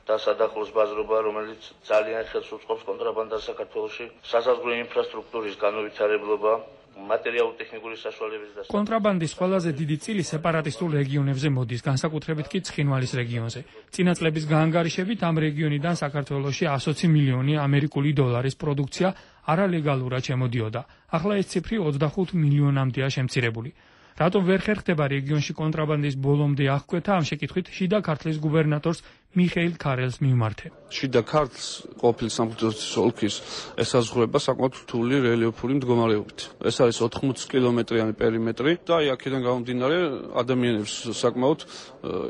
და სადახლოს ბაზრობა, რომელიც ძალიან ხელს უწყობს კონტრაბანდას საქართველოში, სასაზღვრო ინფრასტრუქტურის განუვითარებლობა, მატერიალურ-ტექნიკური საშუალებების დასაწყობი. კონტრაბანდის ყველაზე დიდი წილი სეპარატისტულ რეგიონებზე მოდის, განსაკუთრებით კი ცხინვალის რეგიონზე. წინა წლების გაანგარიშებით ამ რეგიონიდან საქართველოში ასოცი მილიონი ამერიკული დოლარის პროდუქცია არალეგალურად შემოდიოდა. ახლა ეს ციფრი ოცდახუთ მილიონამდეა შემცირებული. რატომ ვერ ხერხდება რეგიონში კონტრაბანდის ბოლომდე აღკვეთა, ამ შეკითხვით შიდა ქართლის გუბერნატორს მიხეილ ქარელს მივმართე. შიდა ქართლს ყოფილი სამღვდელოს ოლქის ესაზღვრება საკმაოდ რთული რელიეფური მდგომარეობით. ეს არის ოთხმოცი კილომეტრიანი პერიმეტრი და აი აქედან გამომდინარე ადამიანებს საკმაოდ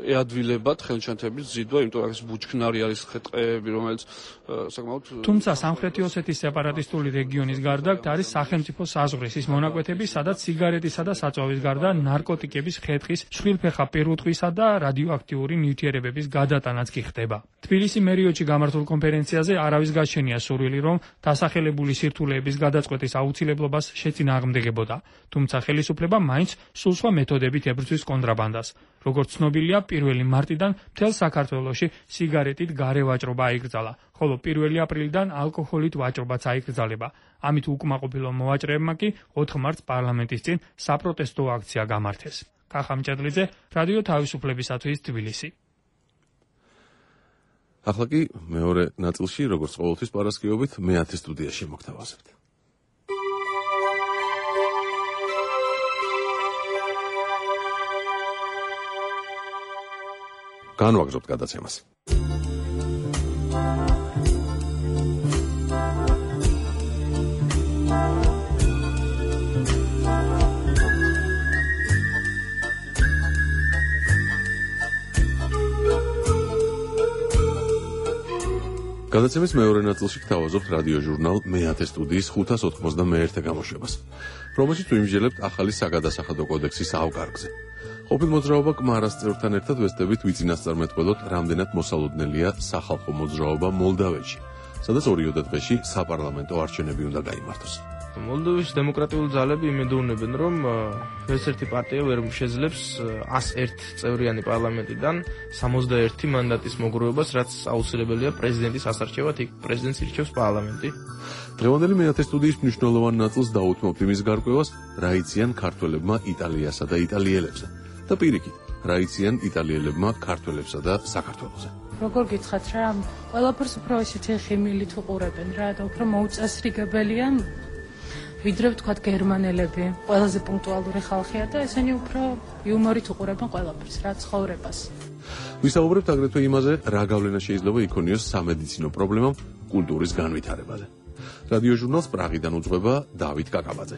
ეადვილებათ ხელჩანთების ზიდვა, იმიტომ რომ ეს ბუჩქნარი არის ხე-ტყეები, რომელიც საკმაოდ თუმცა სამხრეთი ოსეთის სეპარატისტული რეგიონის გარდა არის სახელმწიფო საზღვრის ის მონაკვეთები, სადაც სიგარეტისა და საწვავის გარდა ნარკოტიკების, ხე-ტყის, შვილფეხა პირუტყვისა და რადიოაქტიური ნივთიერებების გადატანაც კი ხდება. თბილისი მერიოჩი გამართულ კონფერენციაზე არავის გაჩენია სურვილი, რომ დასახელებული სირთულეების გადაწყვეტის აუცილებლობას შეწინააღმდეგებოდა, თუმცა ხელისუფლება მაინც სულ სხვა მეთოდებით ებრძვის კონტრაბანდას. როგორც ცნობილია, პირველი მარტიდან მთელ საქართველოში სიგარეტით გარე ვაჭრობა აიკრძალა, ხოლო პირველი აპრილიდან ალკოჰოლით ვაჭრობაც აიკრძალება. ამით უკმაყოფილო მოვაჭრეებმა კი ოთხ მარტს პარლამენტის წინ საპროტესტო აქცია გამართეს. კახა მჭედლიძე, რადიო თავისუფლებისათვის თბილისი. ახლა კი მეორე ნაწილში, როგორც ყოველთვის პარასკევობით, მეათე სტუდიაში მოგთავაზებთ. განვაგრძობთ გადაცემას. გადაცემის მეორე ნაწილში გთავაზობთ რადიო ჟურნალ მეათე სტუდიის ხუთას ოთხმოცდამეერთე გამოშვებას, რომელშიც ვიმსჯელებთ ახალი საგადასახადო კოდექსის ავკარგზე. ყოფილ მოძრაობა კმარას წევრთან ერთად ვესწრებით ვიწინასწარმეტყველოთ, რამდენად მოსალოდნელია სახალხო მოძრაობა მოლდავეთში, სადაც ორიოდე დღეში საპარლამენტო არჩევნები უნდა გაიმართოს. მოლდოვის დემოკრატიული ძალები იმედოვნებენ, რომ ეს ერთი პარტია ვერ შეძლებს ას ერთ წევრიანი პარლამენტიდან სამოცდაერთი მანდატის მოგროვებას, რაც აუცილებელია პრეზიდენტის ასარჩევად, იქ პრეზიდენტს ირჩევს პარლამენტი. დღევანდელი მეათე სტუდიის მნიშვნელოვან ნაწილს დაუთმობთ იმის გარკვევას, რა იციან ქართველებმა იტალიასა და იტალიელებსა და პირიქით, რა იციან იტალიელებმა ქართველებსა და საქართველოზე. როგორ გითხრათ რა, ყველაფერს უფრო ისეთი ხიმილით უყურებენ რა და უფრო მოუწესრიგებელია ვიდრე ვთქვათ გერმანელები, ყველაზე პუნქტუალური ხალხია და ესენი უფრო იუმორით უყურებენ ყველაფერს, რა ცხოვრებას. ვისაუბრებთ აგრეთვე იმაზე, რა გავლენა შეიძლება იქონიოს სამედიცინო პრობლემამ კულტურის განვითარებაზე. რადიო ჟურნალს პრაღიდან უძღვება დავით კაკაბაძე.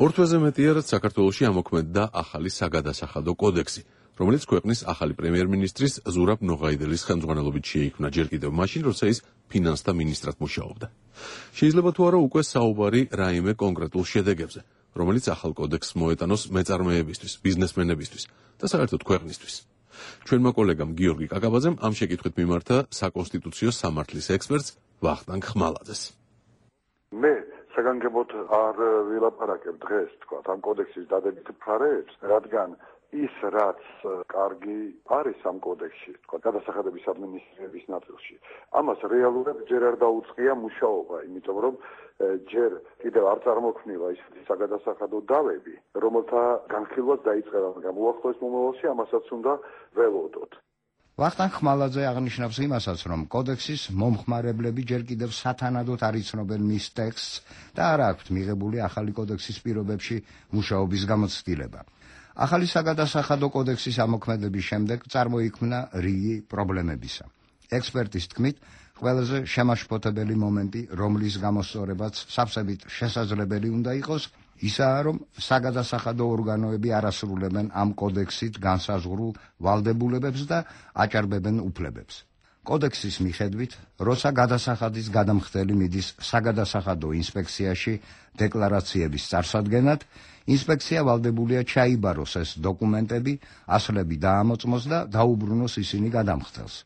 ორ თვეზე მეტია, რაც საქართველოში ამოქმედდა ახალი საგადასახადო კოდექსი, რომელიც ქვეყნის ახალი პრემიერ-მინისტრის ზურაბ ნოღაიდელის ხელმძღვანელობით შეიქმნა ჯერ კიდევ მაშინ, როცა ის ფინანსთა მინისტრად მუშაობდა. შეიძლება თუ არა უკვე საუბარი რაიმე კონკრეტულ შედეგებზე, რომელიც ახალ კოდექსს მოეტანოს მეწარმეებისთვის, ბიზნესმენებისთვის და საერთოდ ქვეყნისთვის. ჩვენმა კოლეგამ გიორგი კაკაბაძემ ამ შეკითხვით მიმართა საკონსტიტუციო სამართლის ექსპერტს ვახტანგ ხმალაძეს. მე საგანგებოდ არ ვილაპარაკებ დღეს, თქვა, ამ კოდექსის დადებით ფრარებს, რადგან ის რაც კარგი არის ამ კოდექსში, თქვა, გადასახადების ადმინისტრირების ნაწილში, ამას რეალურად ჯერ არ დაუწყია მუშაობა, იმიტომ რომ ჯერ კიდევ არ წარმოქმნილა ისეთი საგადასახადო დავები, რომელთა განხილვაც დაიწყება, მაგრამ უახლოეს მომავალში ამასაც უნდა ველოდოთ. ვახტანგ ხმალაძე აღნიშნავს იმასაც, რომ კოდექსის მომხმარებლები ჯერ კიდევ სათანადოდ არ იცნობენ მის ტექსტს და არ აქვთ მიღებული ახალი კოდექსის პირობებში მუშაობის გამოცდილება. ახალი საგადასახადო კოდექსის ამოქმედების შემდეგ წარმოიქმნა რიგი პრობლემებისა. ექსპერტის თქმით, ყველაზე შემაშფოთებელი მომენტი, რომლის გამოსწორებაც სავსებით შესაძლებელი უნდა იყოს, ისაა, რომ საგადასახადო ორგანოები არ ასრულებენ ამ კოდექსით განსაზღვრულ ვალდებულებებს და აჭარბებენ უფლებებს. კოდექსის მიხედვით, როცა გადასახადის გადამხდელი მიდის საგადასახადო ინსპექციაში დეკლარაციების წარსადგენად, ინსპექცია ვალდებულია ჩაიბაროს ეს დოკუმენტები, ასლები დაამოწმოს და დაუბრუნოს ისინი გადამხდელს.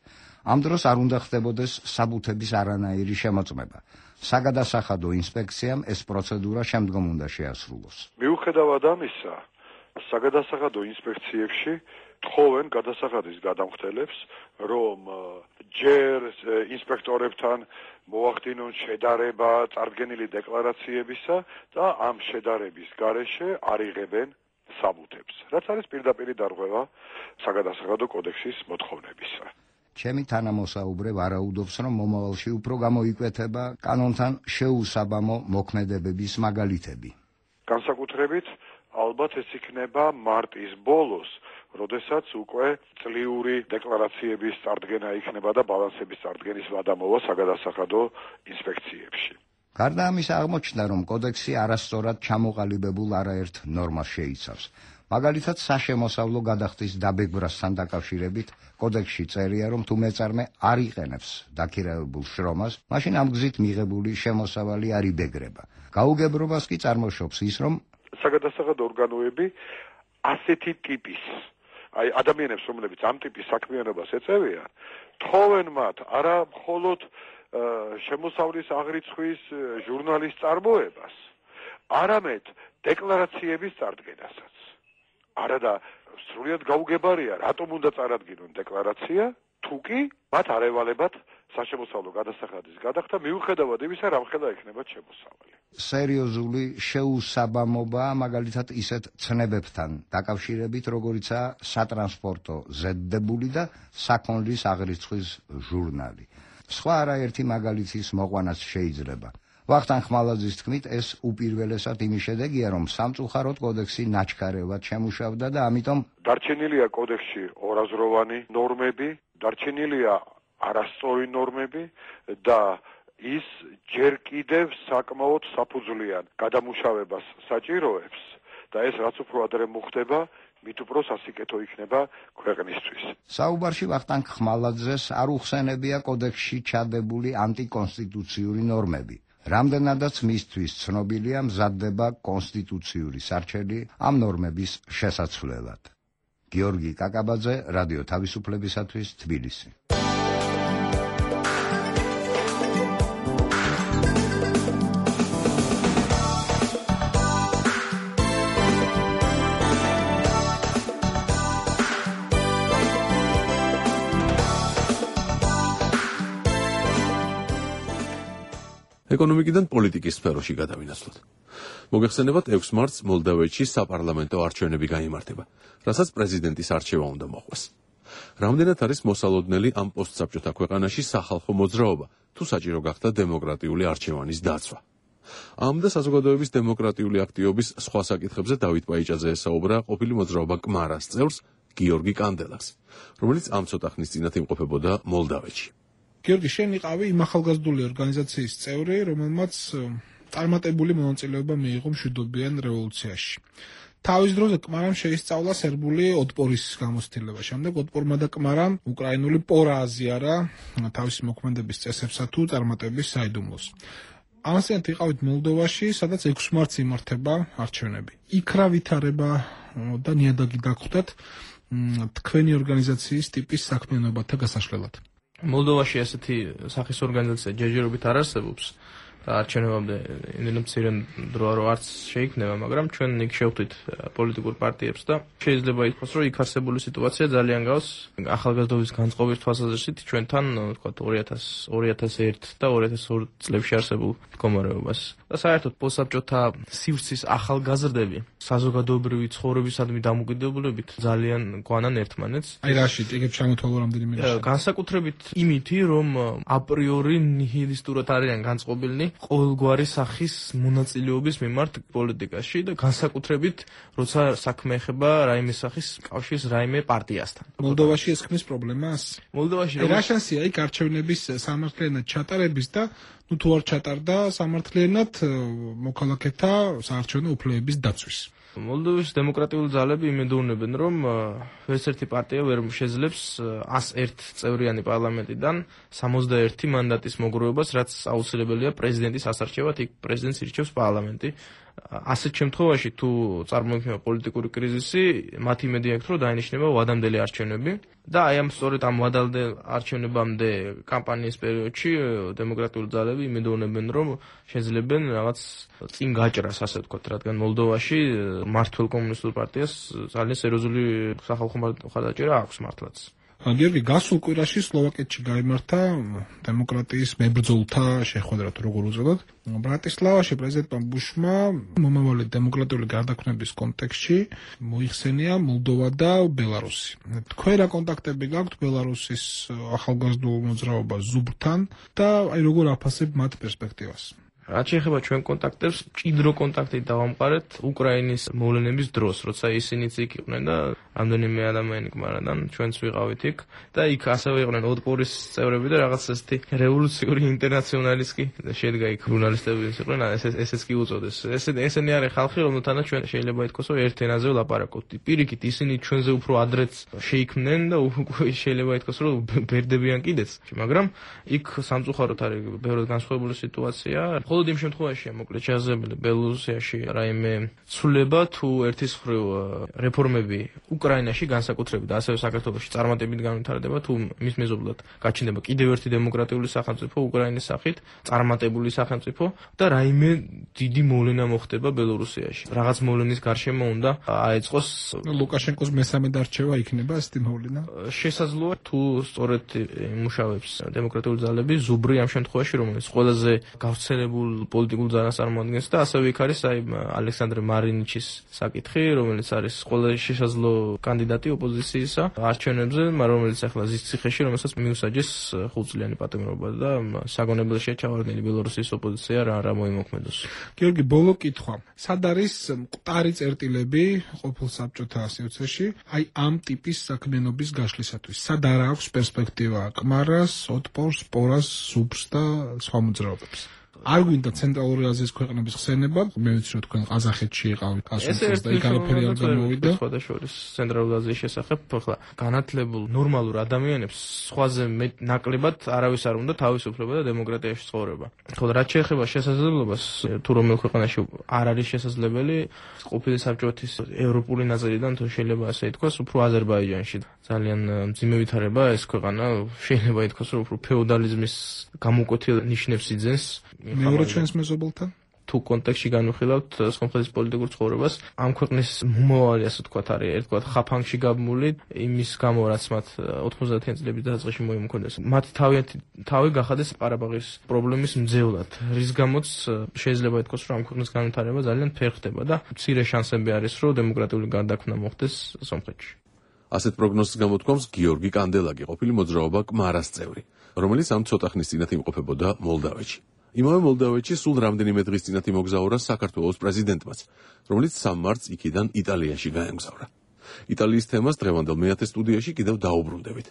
ამ დროს არ უნდა ხდებოდეს საბუთების არანაირი შემოწმება. საგადასახადო ინსპექციამ ეს პროცედურა შემდგომ უნდა შეასრულოს. მიუხედავად ამისა, საგადასახადო ინსპექციებში თხოვენ გადასახადის გადამხდელებს, რომ ჯერ ინსპექტორებთან მოახდინონ შედარება წარდგენილი დეკლარაციებისა და ამ შედარების გარეშე არიღებენ საბუთებს, რაც არის პირდაპირი დარღვევა საგადასახადო კოდექსის მოთხოვნებისა. ჩემი თანამოსაუბრე ვარაუდობს, რომ მომავალში უფრო გამოიკვეთება კანონთან შეუსაბამო მოქმედებების მაგალითები. განსაკუთრებით ალბათ ეს იქნება მარტის ბოლოს, როდესაც უკვე წლიური დეკლარაციების წარდგენა იქნება და ბალანსების წარდგენის ვადამოვა საგადასახადო ინსპექციებში. გარდა ამისა აღმოჩნდა, რომ კოდექსი არასწორად ჩამოყალიბებულ არაერთ ნორმას შეიცავს. მაგალითად, საშემოსავლო გადახდის დაბეგვრასთან დაკავშირებით კოდექსში წერია, რომ თუ მეწარმე არ იყენებს დაქირავებულ შრომას, მაშინ ამ გზით მიღებული შემოსავალი არ იბეგრება. გაუგებრობას კი წარმოშობს ის, რომ საგადასახადო ორგანოები ასეთი ტიპის აი ადამიანებს, რომლებიც ამ ტიპის საქმიანობას ეწევიან, თხოვენ მათ არა მხოლოდ შემოსავლის აღრიცხვის ჟურნალის წარმოებას, არამედ დეკლარაციების წარდგენასაც. არა და სრულიად გაუგებარია, რატომ უნდა წარადგინონ დეკლარაცია, თუ კი მათ არ ევალებათ საშემოსავლო გადასახადის გადახდა, მიუხედავად იმისა, რამხელა ექნებათ შემოსავალი. სერიოზული შეუსაბამობა, მაგალითად ისეთ ცნებებთან დაკავშირებით, როგორიცაა სატრანსპორტო ზედდებული და საქონლის აღრიცხვის ჟურნალი. სხვა არაერთი მაგალითის მოყვანაც შეიძლება. ვახტანგ ხმალაძის თქმით, ეს უპირველესად იმის შედეგია, რომ სამწუხაროდ კოდექსი ნაჩქარევად შემუშავდა და ამიტომ დარჩენილია კოდექსში ორაზროვანი ნორმები, დარჩენილია არასწორი ნორმები და ის ჯერ კიდევ საკმაოდ საფუძვლიან გადამუშავებას საჭიროებს და ეს რაც უფრო ადრე მოხდება, მით უფრო სასიკეთო იქნება ქვეყნისთვის. საუბარში ვახტანგ ხმალაძეს არ უხსენებია კოდექსში ჩადებული ანტიკონსტიტუციური ნორმები. რამდენადაც მისთვის ცნობილია, მზადდება კონსტიტუციური სარჩელი ამ ნორმების შესაცვლელად. გიორგი კაკაბაძე, რადიო თავისუფლებისათვის, თბილისი. ეკონომიკიდან პოლიტიკის სფეროში გადავინაცვლოთ. მოგეხსენებათ, ექვსი მარტს მოლდოვეთში საპარლამენტო არჩევნები გაიმართება, რასაც პრეზიდენტის არჩევა უნდა მოხდეს. რამდენად არის მოსალოდნელი ამ პოსტსაბჭოთა ქვეყანაში სახალხო მოძრაობა, თუ საჭირო გახდა დემოკრატიული არჩევანის დაცვა. ამ და საზოგადოების დემოკრატიული აქტივობის სხვა საკითხებზე დავით პაიჭაძე ესაუბრა ყოფილი მოძრაობა კმარას წევრს გიორგი კანდელაკს, რომელიც ამ ცოტა ხნის წინათ იმყოფებოდა მოლდოვეთში. გიორგი, შენ იყავი იმ ახალგაზრდული ორგანიზაციის წევრი, რომელმაც წარმატებული მონაწილეობა მიიღო მშვიდობიან რევოლუციაში. თავის დროზე კმარამ შეისწავლა სერბული ოტპორის გამოცდილება. შემდეგ ოტპორმა და კმარამ უკრაინული პორა აზიარა თავისი მოქმედების წესებსა თუ წარმატების საიდუმლოს. ამასთანავე იყავით მოლდოვაში, სადაც ექვსი მარტს იმართება არჩევნები. იქ რა ვითარება და ნიადაგი დაგხვდათ თქვენი ორგანიზაციის ტიპის საქმიანობათა გასაშლელად. მოლდოვაში ასეთი სახის ორგანიზაცია ჯერჯერობით არ არსებობს და არჩევნებამდე იმდენად მცირე დრო რო არც შეიქმნება, მაგრამ ჩვენ იქ შევხვდით პოლიტიკურ პარტიებს და შეიძლება ითქვას, რომ იქ არსებული სიტუაცია ძალიან გავს ახალგაზრდობის განწყობის თვალსაზრისით ჩვენთან, ვთქვათ, ორი ათას ერთი და ორი ათას ორი წლებში არსებულ მდგომარეობას. და საერთოდ პოსტსაბჭოთა სივრცის ახალგაზრდები საზოგადოებრივი ცხოვრებისადმი დამოკიდებულებით ძალიან გვანან ერთმანეთს. აი რაში იგებ ჩამოთვალო რამდენიმე განსაკუთრებით იმითი, რომ აპრიორი ნიჰილისტურად არიან განწყობილნი ყოველგვარი სახის მონაწილეობის მიმართ პოლიტიკაში და განსაკუთრებით როცა საქმე ეხება რაიმე სახის კავშირის რაიმე პარტიასთან. მოლდოვაში ეს ქმნის პრობლემას? მოლდოვაში რა შანსია იქ არჩევნების სამართლიანად ჩატარების და ნუ თუ არ ჩატარდა სამართლიანად მოქალაქეთა საარჩევნო უფლებების დაცვის. მოლდოვის დემოკრატიული ძალები იმედოვნებენ, რომ ვერც ერთი პარტია ვერ შეძლებს ას ერთ წევრიანი პარლამენტიდან სამოცდაერთი მანდატის მოგროვებას, რაც აუცილებელია პრეზიდენტის ასარჩევად, იქ პრეზიდენტს ირჩევს პარლამენტი. ასეთ შემთხვევაში თუ წარმოიქმნება პოლიტიკური კრიზისი, მათ იმედი აქვს, რომ დაინიშნება ვადამდელი არჩევნები და აი ამ სწორედ ამ ვადამდელ არჩევნებამდე კამპანიის პერიოდში დემოკრატიული ძალები იმედოვნებენ, რომ შეძლებენ რაღაც წინ გაჭრას, ასე ვთქვათ, რადგან მოლდოვაში მართლ კომუნისტურ პარტიას ძალიან სერიოზული სახალხო მხარდაჭერა აქვს მართლაც. გიორგი, გასულ კვირაში სლოვაკეთში გაიმართა დემოკრატიის მებრძოლთა შეხვედრა, თუ როგორ უწოდოთ. ბრატისლავაში პრეზიდენტმა ბუშმა მომავალი დემოკრატიული გარდაქმნების კონტექსტში მოიხსენია მოლდოვა და ბელარუსი. თქვენ რა კონტაქტები გაქვთ ბელარუსის ახალგაზრდულ მოძრაობას ზუბრთან და აი როგორ აფასებ მათ პერსპექტივას? რაც შეეხება ჩვენ კონტაქტებს, ჭიდრო კონტაქტით დავამყარეთ უკრაინის მოვლენების დროს, როცა ისინიც იქ იყვნენ და რამდენიმე ადამიანი გმარადან ჩვენც ვიყავით იქ და იქ ასევე იყვნენ ოდპორის წევრები და რაღაც ესეთი რევოლუციური ინტერნაციონალისტი შედგა იქ ჟურნალისტები იყვნენ, ესეც კი უწოდეს. ესე ესენი არის ხალხი, რომელთანაც ჩვენ შეიძლება ითქვას, რომ ერთ ენაზე ვლაპარაკობთ. პირიქით ისინი ჩვენზე უფრო ადრეც შეიქმნენ და უკვე შეიძლება ითქვას, რომ ბერდებიან კიდეც, მაგრამ იქ სამწუხაროდ არის ბევრად განსხვავებული სიტუაცია. მხოლოდ იმ შემთხვევაშია მოკლედ შესაძლებელი ბელორუსიაში რაიმე ცვლილება თუ ერთის მხრივ რეფორმები უკრაინაში განსაკუთრებით და ასევე საქართველოში წარმატებით განვითარდება თუ მის მეზობლად გაჩნდება კიდევ ერთი დემოკრატიული სახელმწიფო უკრაინის სახით წარმატებული სახელმწიფო და რაიმე დიდი მოვლენა მოხდება ბელორუსიაში. რაღაც მოვლენის გარშემო უნდა აეწყოს ლუკაშენკოს მესამე დარჩევა იქნება ესეთი მოვლენა. შესაძლოა თუ სწორედ იმუშავებს დემოკრატიული ძალები ზუბრი ამ შემთხვევაში რომელიც ყველაზე გავრცელებული პოლიტიკურ ძალას წარმოადგენს და ასევე იქ არის აი ალექსანდრე მარინიჩის საკითხი, რომელიც არის ყველაზე შესაძლო კანდიდატი ოპოზიციისა არჩევნებზე, რომელიც ახლა ზის ციხეში, რომელსაც მიუსაჯეს ხუთწლიანი პატიმრობა და საგონებელშია ჩავარდნილი ბელორუსის ოპოზიცია რა რა მოიმოქმედოს. გიორგი, ბოლო კითხვა. სად არის მკვდარი წერტილები ყოფილ საბჭოთა სივრცეში აი ამ ტიპის საქმიანობის გაშლისათვის? სად არ აქვს პერსპექტივა კმარას, ოტპორს, პორას, ზუბრს და სხვა მოძრაობებს? არ გვინდა ცენტრალური აზიის ქვეყნების ხსენება, მე ვიცი რომ თქვენ ყაზახეთში იყავით ასულს და იქ არაფერი არ გამოვიდა. სხვადასხვა ცენტრალური აზიის შესახებ ახლა განათლებულ ნორმალურ ადამიანებს სხვაზე ნაკლებად არავის არ უნდა თავისუფლება და დემოკრატიაში ცხოვრება. ხოლო რაც შეეხება შესაძლებლობას, თუ რომელ ქვეყანაში არ არის შესაძლებელი ყოფილი საბჭოთის ევროპული ნაწილიდან თუ შეიძლება ასე ითქვას, უფრო აზერბაიჯანში ძალიან მძიმე ვითარება ეს ქვეყანა შეიძლება ითქვას რომ უფრო ფეოდალიზმის გამოკვეთილ ნიშნებს იძენს. მეორე ჩვენს მეზობელთან თუ კონტექსტში განვიხილავთ სომხეთის პოლიტიკურ ცხოვრებას, ამ ქვეყნის მომავალი ასე ვთქვათ არის ერთგვარ ხაფანგში გაბმული იმის გამო რაც მათ ოთხმოცდაათიანი წლების დასაწყისში მოიმოქმედეს. მათ თავიანთი თავი გახადეს ყარაბაღის პრობლემის მძევლად, რის გამოც შეიძლება ითქვას რომ ამ ქვეყნის განვითარება ძალიან ფერხდება და მცირე შანსები არის რომ დემოკრატიული გარდაქმნა მოხდეს სომხეთში. ასეთ პროგნოზს გამოთქვამს გიორგი კანდელაკი, ყოფილი მოძრაობა კმარას წევრი, რომელიც ამ ცოტა ხნის წინათ იმყოფებოდა მოლდავეთში. იმავე მოლდავეთში სულ რამდენიმე დღის წინათ იმოგზაურა საქართველოს პრეზიდენტმაც, რომელიც სამ მარტს იქიდან იტალიაში გაემგზავრა. იტალიის თემას დღევანდელ მეათე სტუდიაში კიდევ დაუბრუნდებით.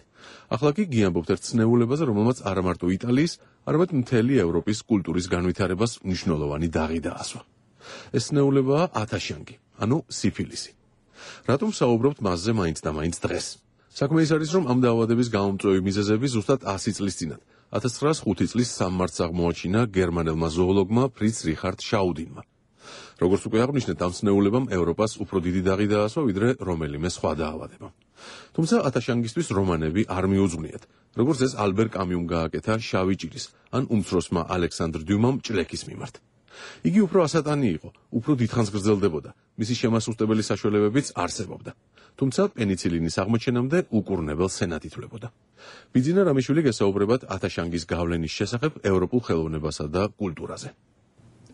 ახლა კი გიამბობთ ერთ ცნეულებაზე, რომელმაც არა მარტო იტალიის, არამედ მთელი ევროპის კულტურის განვითარებას მნიშვნელოვანი დაღი დაასვა. ეს ცნეულებაა ათაშანგი, ანუ სიფილისი. რატომ საუბრობთ მასზე მაინც და მაინც დღეს? საქმე ის არის, რომ ამ დაავადების გამომწვევი მიზეზები ზუსტად ასი წლის წინათ ათას ცხრაას ხუთი წლის სამ მარტს აღმოაჩინა გერმანელმა ზოოლოგმა ფრიც რიხარდ შაუდინმა. როგორც უკვე აღნიშნეთ, ამ ცნეულებამ ევროპას უფრო დიდი დაღი დაასვა, ვიდრე რომელიმე სხვა დაავადებამ. თუმცა ათაშანგისთვის რომანები არ მიუძღვნიათ, როგორც ეს ალბერ კამიუმ გააკეთა შავი ჭირის ან უმცროსმა ალექსანდრ დიუმამ ჭლექის მიმართ. იგი უფრო ასატანი იყო, უფრო დიდხანს გრძელდებოდა, მისი შემასუსტებელი საშუალებებიც არსებობდა. თუმცა პენიცილინის აღმოჩენამდე უკურნებელ სენად ითვლებოდა. ბიძინა რამიშვილი გესაუბრებათ ათაშანგის გავლენის შესახებ ევროპულ ხელოვნებასა და კულტურაზე.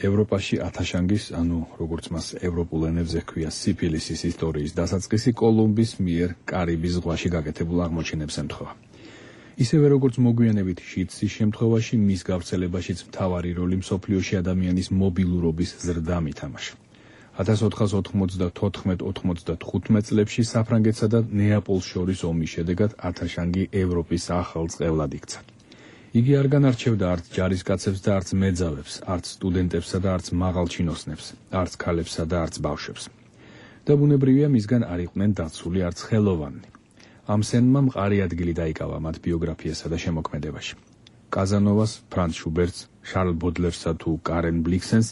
ევროპაში ათაშანგის, ანუ როგორც მას ევროპულ ენებზე ჰქვია, სიფილისის ისტორიის დასაწყისი კოლუმბის მიერ კარიბის ზღვაში გაკეთებულ აღმოჩენებს ემთხვევა. ისევე როგორც მოგვიანებით შიდსის შემთხვევაში, მის გავრცელებაშიც მთავარი როლი მსოფლიოში ადამიანის მობილურობის ზრდამ ითამაშა. ათას ოთხას ოთხმოცდათოთხმეტ ოთხმოცდათხუთმეტ წლებში საფრანგეთსა და ნეაპოლს შორის ომის შედეგად ათაშანგი ევროპის ახალ წყევლად იქცა. იგი არ განარჩევდა არც ჯარისკაცებს და არც მეძავებს, არც სტუდენტებსა და არც მაღალჩინოსნებს, არც ქალებსა და არც ბავშვებს. და ბუნებრივია მისგან არ იყვნენ დაცული არც ხელოვანი. ამ სენმა მყარი ადგილი დაიკავა მათ ბიოგრაფიასა და შემოქმედებაში. კაზანოვას, ფრანც შუბერტს, შარლ ბოდლერსა თუ კარენ ბლიქსენს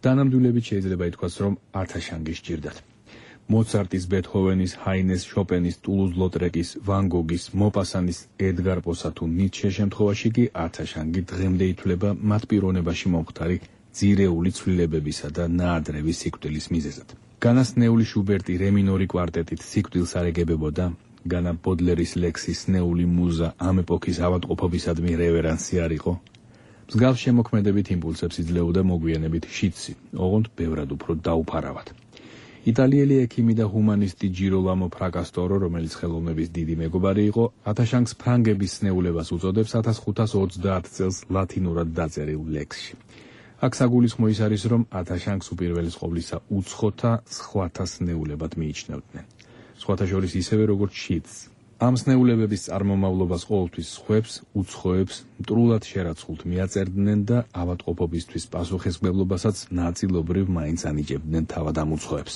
დანამდვილებით შეიძლება ითქვას, რომ ათაშანგი სჭირდათ. მოცარტის, ბეთჰოვენის, ჰაინეს, შოპენის, ტულუზ ლოტრეკის, ვან გოგის, მოპასანის, ედგარ პოსა თუ ნიცშეს შემთხვევაში კი ათაშანგი დღემდე ითვლება მათ პიროვნებაში მომხდარი ძირეული ცვლილებებისა და ნაადრევი სიკვდილის მიზეზად. განასნეული შუბერტი რემინორი კვარტეტით სიკვდილს არ ეგებებოდა, განა ბოდლერის ლექსის ნეული მუზა ამ ეპოქის ავადმყოფობისადმი რევერანსი არ იყო. მსგავს შემოქმედებით იმპულსებს იძლეოდა მოგვიანებით შიდსი, ოღონდ ბევრად უფრო დაუფარავად. იტალიელი ექიმი და ჰუმანისტი ჯიროლამო ფრაკასტორო, რომელიც ხელოვნების დიდი მეგობარი იყო, ათაშანგს ფრანგების სნეულებას უწოდებს ათას ხუთას ოცდაათ წელს ლათინურად დაწერილ ლექსში. აქ საგულისხმო ის არის, რომ ათაშანგს უპირველეს ყოვლისა უცხოთა სხვათა სნეულებად მიიჩნევდნენ. სხვათა შორის ისევე როგორც შიდს. ამ სნეულებების წარმომავლობას ყოველთვის სხვებს, უცხოებს, მტრულად შერაცხულთ მიაწერდნენ და ავადმყოფობისთვის პასუხისმგებლობასაც ნაწილობრივ მაინც ანიჭებდნენ თავად ამ უცხოებს.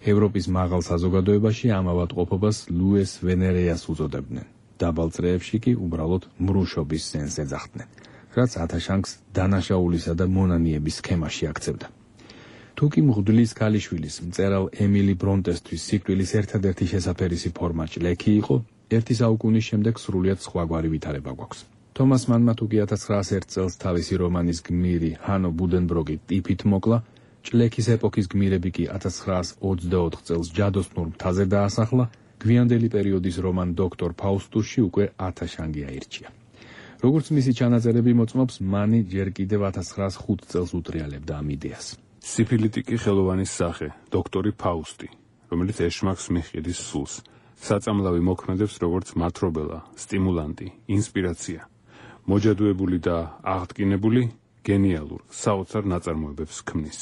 ევროპის მაღალ საზოგადოებაში ამ ავადმყოფობას ლუეს ვენერეას უწოდებდნენ. დაბალ წრეებში კი უბრალოდ მრუშობის სენს ეძახდნენ, რაც ათაშანგს დანაშაულისა და მონანიების სქემაში აქცევდა. თუკი მღვდლის ქალიშვილის მწერალ ემილი ბრონტესთვის სიკვდილის ერთადერთი შესაფერისი ფორმა ჭლექი იყო, ერთი საუკუნის შემდეგ სრულიად სხვაგვარი ვითარება გვაქვს. თომას მანმა თუკი ათას ცხრაას ერთ წელს თავისი რომანის გმირი ჰანო ბუდენბროგი ტიფით მოკლა, ჭლექის ეპოქის გმირები კი ათას ცხრაას ოცდაოთხ წელს ჯადოსნურ მთაზე დაასახლა, გვიანდელი პერიოდის რომან დოქტორ ფაუსტუსში უკვე ათაშანგი აირჩია. როგორც მისი ჩანაწერები მოწმობს, მანი ჯერ კიდევ ათას ცხრაას ხუთ წელს უტრიალებდა ამ იდეას. სიფილიტიკი ხელოვანის სახე, დოქტორი ფაუსტი, რომელიც ეშმაკს მიჰყიდის სულს, საწამლავი მოქმედებს როგორც მათრობელა, სტიმულანტი, ინსპირაცია, მოჯადოებული და აღდგინებული, გენიალურ, საოცარ ნაწარმოებებს ქმნის.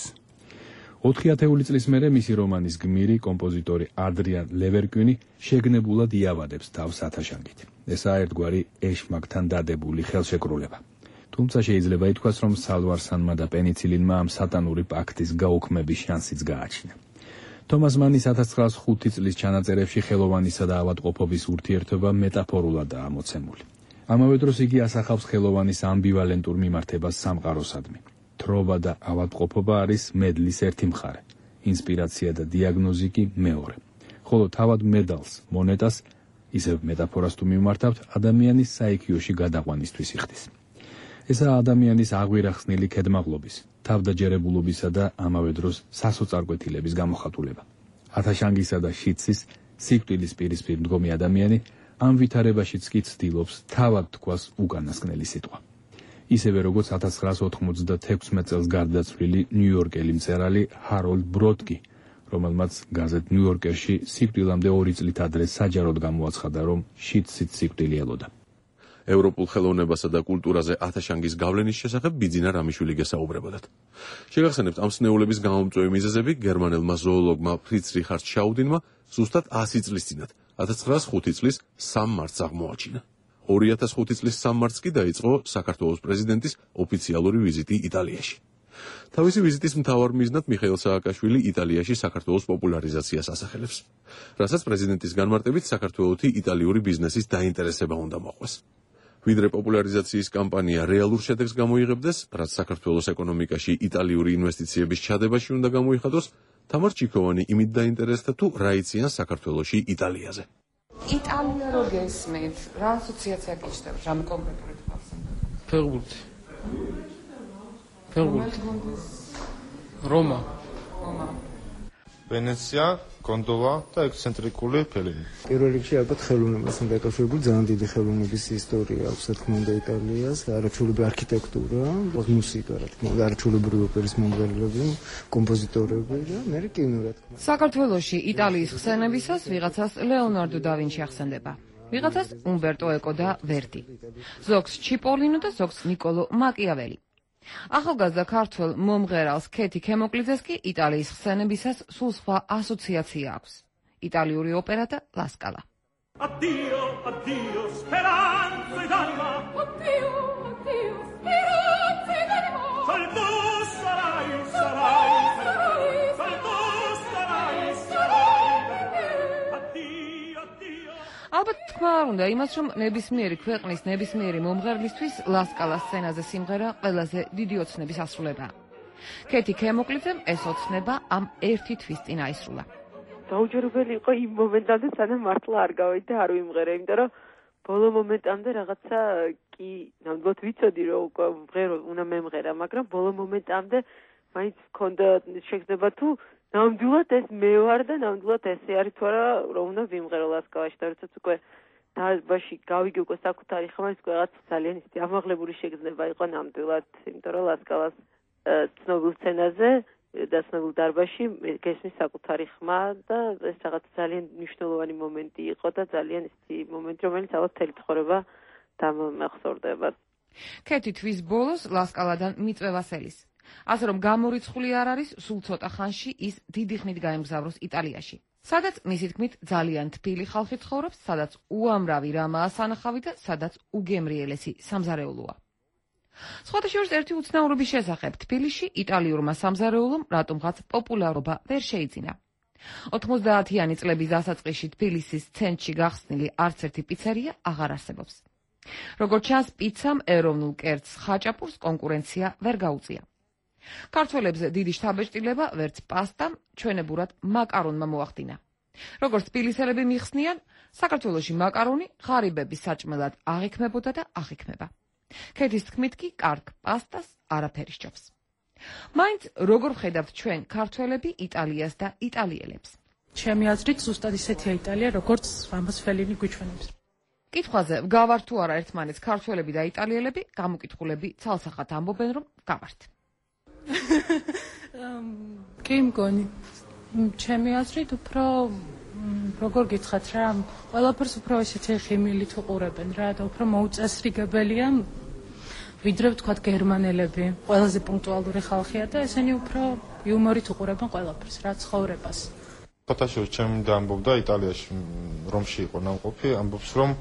ოთხი ათეული წლის მერე მისი რომანის გმირი, კომპოზიტორი ადრიან ლევერკვინი შეგნებულად იავადებს თავს ათაშანგით. ესაა ერთგვარი ეშმაკთან დადებული ხელშეკრულება. თუმცა შეიძლება ითქვას, რომ სალვარსანმა და პენიცილინმა ამ სატანური პაქტის გაუქმების შანსიც გააჩნია. თომას მანის ათას ცხრაას ხუთი წლის ჩანაწერებში ხელოვანისა და ავადმყოფობის ურთიერთობა მეტაფორულადაა მოცემული. ამავე დროს იგი ასახავს ხელოვანის ამბივალენტურ მიმართებას სამყაროსადმი. თრობა და ავადმყოფობა არის მედლის ერთი მხარე, ინსპირაცია და დიაგნოზი კი მეორე. ხოლო თავად მედალს, მონეტას, ისევ მეტაფორას თუ მიმართავთ, ადამიანის საიქიოში გადაყვანისთვის იხდის. ესაა ადამიანის აღვირახსნილი ქედმაღლობის, თავდაჯერებულობისა და ამავე დროს სასოწარკვეთილების გამოხატულება. ათაშანგისა და შიდსის სიკვდილის პირისპირ მდგომი ადამიანი ამ ვითარებაშიც კი ცდილობს თავად თქვას უკანასკნელი სიტყვა. ისევე როგორც ათას ცხრაას ოთხმოცდათექვსმეტ წელს გარდაცვლილი ნიუ-იორკელი მწერალი ჰაროლდ ბროდკი, რომელმაც გაზეთ ნიუ-იორკერში სიკვდილამდე ორი წლით ადრე საჯაროდ გამოაცხადა, რომ შიდსით სიკვდილი ელოდა. ევროპულ ხელოვნებასა და კულტურაზე ათაშანგის გავლენის შესახებ ბიძინა რამიშვილი გესაუბრებოდათ. შეგახსენებთ, ამ სნეულების გამომწვევი მიზეზები გერმანელმა ზოოლოგმა ფრიც რიხარდ შაუდინმა ზუსტად ასი წლის წინათ, ათას ცხრაას ხუთი წლის სამ მარტს აღმოაჩინა. ორი ათას ხუთი წლის სამ მარტს კი დაიწყო საქართველოს პრეზიდენტის ოფიციალური ვიზიტი იტალიაში. თავისი ვიზიტის მთავარ მიზნად მიხეილ სააკაშვილი იტალიაში საქართველოს პოპულარიზაციას ასახელებს, რასაც პრეზიდენტის განმარტებით საქართველოთი იტალიური ბიზნესის დაინტერესება უნდა მოყვეს. ვიდრე პოპულარიზაციის კამპანია რეალურ შედეგს გამოიღებდეს, რაც საქართველოს ეკონომიკაში იტალიური ინვესტიციების ჩადებაში უნდა გამოიხადოს, თამარ ჩიქოვანი იმით დაინტერესდა თუ რა იციან საქართველოში იტალიაზე. იტალია რო გესმით, რა ასოციაცია გიჩნდათ, რამ კონკრეტული თვალს? ფეხბურთი. ფეხბურთი. რომა. რომა. ვენეცია, გონდოვა და ექსცენტრიკული ფელინი. პირველ რიგში ალბათ ხელოვნებასთან დაკავშირებული ძალიან დიდი ხელოვნების ისტორია აქვს, რა თქმა უნდა, იტალიას, არაჩვეულებრივი არქიტექტურა, მუსიკა, რა თქმა უნდა, არაჩვეულებრივი ოპერის მომღერლები, კომპოზიტორები და მერე კინო, რა თქმა უნდა. საქართველოში იტალიის ხსენებისას ვიღაცას ლეონარდო და ვინჩი ახსენდება. ვიღაცას უმბერტო ეკო და ვერდი. ზოგს ჩიპოლინო და ზოგს ნიკოლო მაკიაველი. ახალგაზრდა ქართველ მომღერალს ქეთი ქემოკლიძეს კი იტალიის ხსენებისას სულ სხვა ასოციაცია აქვს. იტალიური ოპერა და ლასკალა. Addio, addio, speranza ed anima. Addio, ალბათ თქმა არ უნდა იმას, რომ ნებისმიერი ქვეყნის ნებისმიერი მომღერლისთვის ლასკალა სცენაზე სიმღერა ყველაზე დიდი ოცნების ასრულებაა. კეთი ქემოკლიძემ ეს ოცნება ამ ერთი თვის წინ აისრულა. დაუჯერებელი იყო იმ მომენტამდე, სანამ მართლა არ გავედი და არ ვიმღერე, იმიტომ რომ ბოლო მომენტამდე რაღაცა კი ნამდვილად ვიცოდი რომ უკვე ვღერო, უნდა მემღერა, მაგრამ ბოლო მომენტამდე მაინც მქონდა შეგრძნება თუ ნამდვილად ეს მე ვარ და ნამდვილად ესე არის თუ არა რომ უნდა ვიმღერო ლასკალაში და როდესაც უკვე დაბაში გავიგე უკვე საკუთარი ხმა, ის უკვე რაღაც ძალიან ისეთი ამაღლებული შეგრძნება იყო ნამდვილად, იმიტომ რომ ლასკალას ცნობილ სცენაზე და ცნობილ დარბაზში გესმის საკუთარი ხმა და ეს რაღაც ძალიან მნიშვნელოვანი მომენტი იყო და ძალიან ისეთი მომენტი, რომელიც ალბათ მთელი ცხოვრება დამახსოვრდება. კეთი თვის ბოლოს ლასკალადან მიწვევას ელის. ასე რომ გამორიცხული არ არის, სულ ცოტა ხანში ის დიდი ხნით გაემგზავროს იტალიაში. სადაც მისი თქმით ძალიან თბილი ხალხი ცხოვრობს, სადაც უამრავი რამაა სანახავი და სადაც უგემრიელესი სამზარეულოა. სხვათა შორის ერთი უცნაურობის შესახებ თბილისში იტალიურმა სამზარეულომ რატომღაც პოპულარობა ვერ შეიძინა. ოთხმოცდაათიანი წლების დასაწყისში თბილისის ცენტრში გახსნილი არც ერთი პიცერია აღარ არსებობს. როგორც ჩანს, პიცამ ეროვნულ კერძს ხაჭაპურს კონკურენცია ვერ გაუწია. ქართველებს დიდი შთაბეჭდილება ვერც პასტამ, ჩვენებურად მაკარონმა მოახდინა. როგორც თბილისელები მიხსნიან, საქართველოში მაკარონი ღარიბების საჭმელად აღიქმებოდა და აღიქმება. კეთის თქმით კი კარგ პასტას არაფერი სჯობს. მაინც როგორ ხედავთ ჩვენ ქართველები იტალიას და იტალიელებს? ჩემი აზრით ზუსტად ისეთია იტალია, როგორც ამას ფელინი გვიჩვენებს. კითხვაზე გავართ თუ არა ერთმანეთს ქართველები და იტალიელები, გამოკითხულები ცალსახად ამბობენ, რომ გავართ. კი მგონი, ჩემი აზრით უფრო როგორ გითხრათ რა, ყველაფერს უფრო ესეთი ხიმილით უყურებენ რა და უფრო მოუწესრიგებელია ვიდრე ვთქვათ გერმანელები, ყველაზე პუნქტუალური ხალხია და ესენი უფრო იუმორით უყურებენ ყველაფერს რა, ცხოვრებას. ფოტოშოპ ჩემი და ამბობდა იტალიაში, რომში იყო ნამყოფი, ამბობს რომ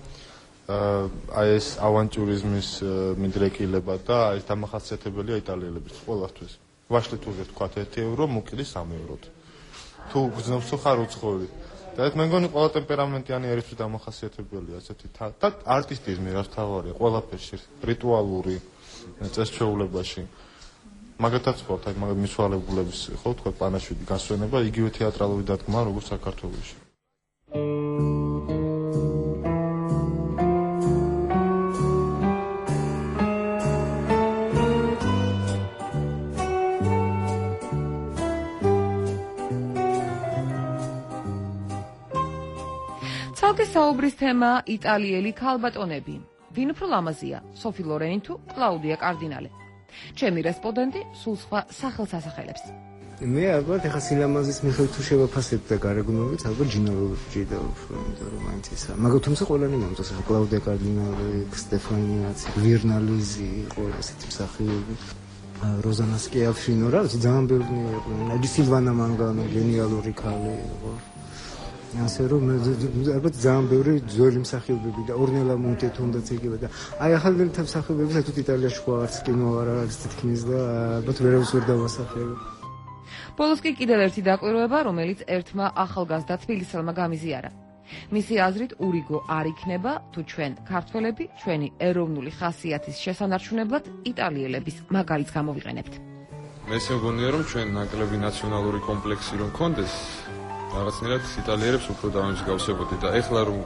აი ეს ავანტიურიზმის მიდრეკილება და ეს დამახასიათებელია იტალიელების ყველასთვის. ვაშლი თუ ვთქვათ ერთი ევრო, მოკილი სამი ევროთ. თუ გძნობს თუ ხარ უცხოელი. და ეს მე მგონი ყველა ტემპერამენტიანი ერისთვის დამახასიათებელია ასეთი და არტისტიზმი რაც თავარია ყველაფერში, რიტუალური წესჩვეულებაში. მაგათაც ვთქვათ, აი მაგათ მიცვალებულების ხო თქვა პანაშვიდი გასვენება, იგივე თეატრალური დადგმა როგორც საქართველოში. ცალკე საუბრის თემა იტალიელი ქალბატონები. ვინ უფრო ლამაზია, სოფი ლორენი თუ კლაუდია კარდინალე? ჩემი რესპონდენტი სულ სხვა სახელს ასახელებს. მე ალბათ ეხა სილამაზის მიხედვით თუ შევაფასებ და გარეგნობით, ალბათ ჯინა როჯიდა უფრო, იმიტომ რომ მაინც ისა. მაგრამ თუმცა ყველანი მომწონს, ეხა კლაუდია კარდინალე, სტეფანიაც, ვირნალიზი, ყველა ესეთი მსახიობი. როზანა სკიაფშინო რა, ძალიან ბევრი იყო. ნაჯი სილვანა მანგანო, გენიალური ქალი იყო. ასე რომ ალბათ ძალიან ბევრი ძველი მსახიობები და ორნელა მონტე თუნდაც იგივე და აი ახალი მსახიობები საერთოდ იტალიაში ხო არც კინო არ არის თითქმის და ალბათ ვერავის ვერ დავასახელებ. ბოლოს კი კიდევ ერთი დაკვირვება, რომელიც ერთმა ახალგაზრდა თბილისელმა გამიზიარა. მისი აზრით ურიგო არ იქნება, თუ ჩვენ ქართველები ჩვენი ეროვნული ხასიათის შესანარჩუნებლად იტალიელების მაგალითს გამოვიყენებთ. მე მგონია რომ ჩვენ ნაკლები ნაციონალური კომპლექსი რომ გქონდეს რაღაცნაირად იტალიელებს უფრო დავამსგავსებოდი და ეხლა რომ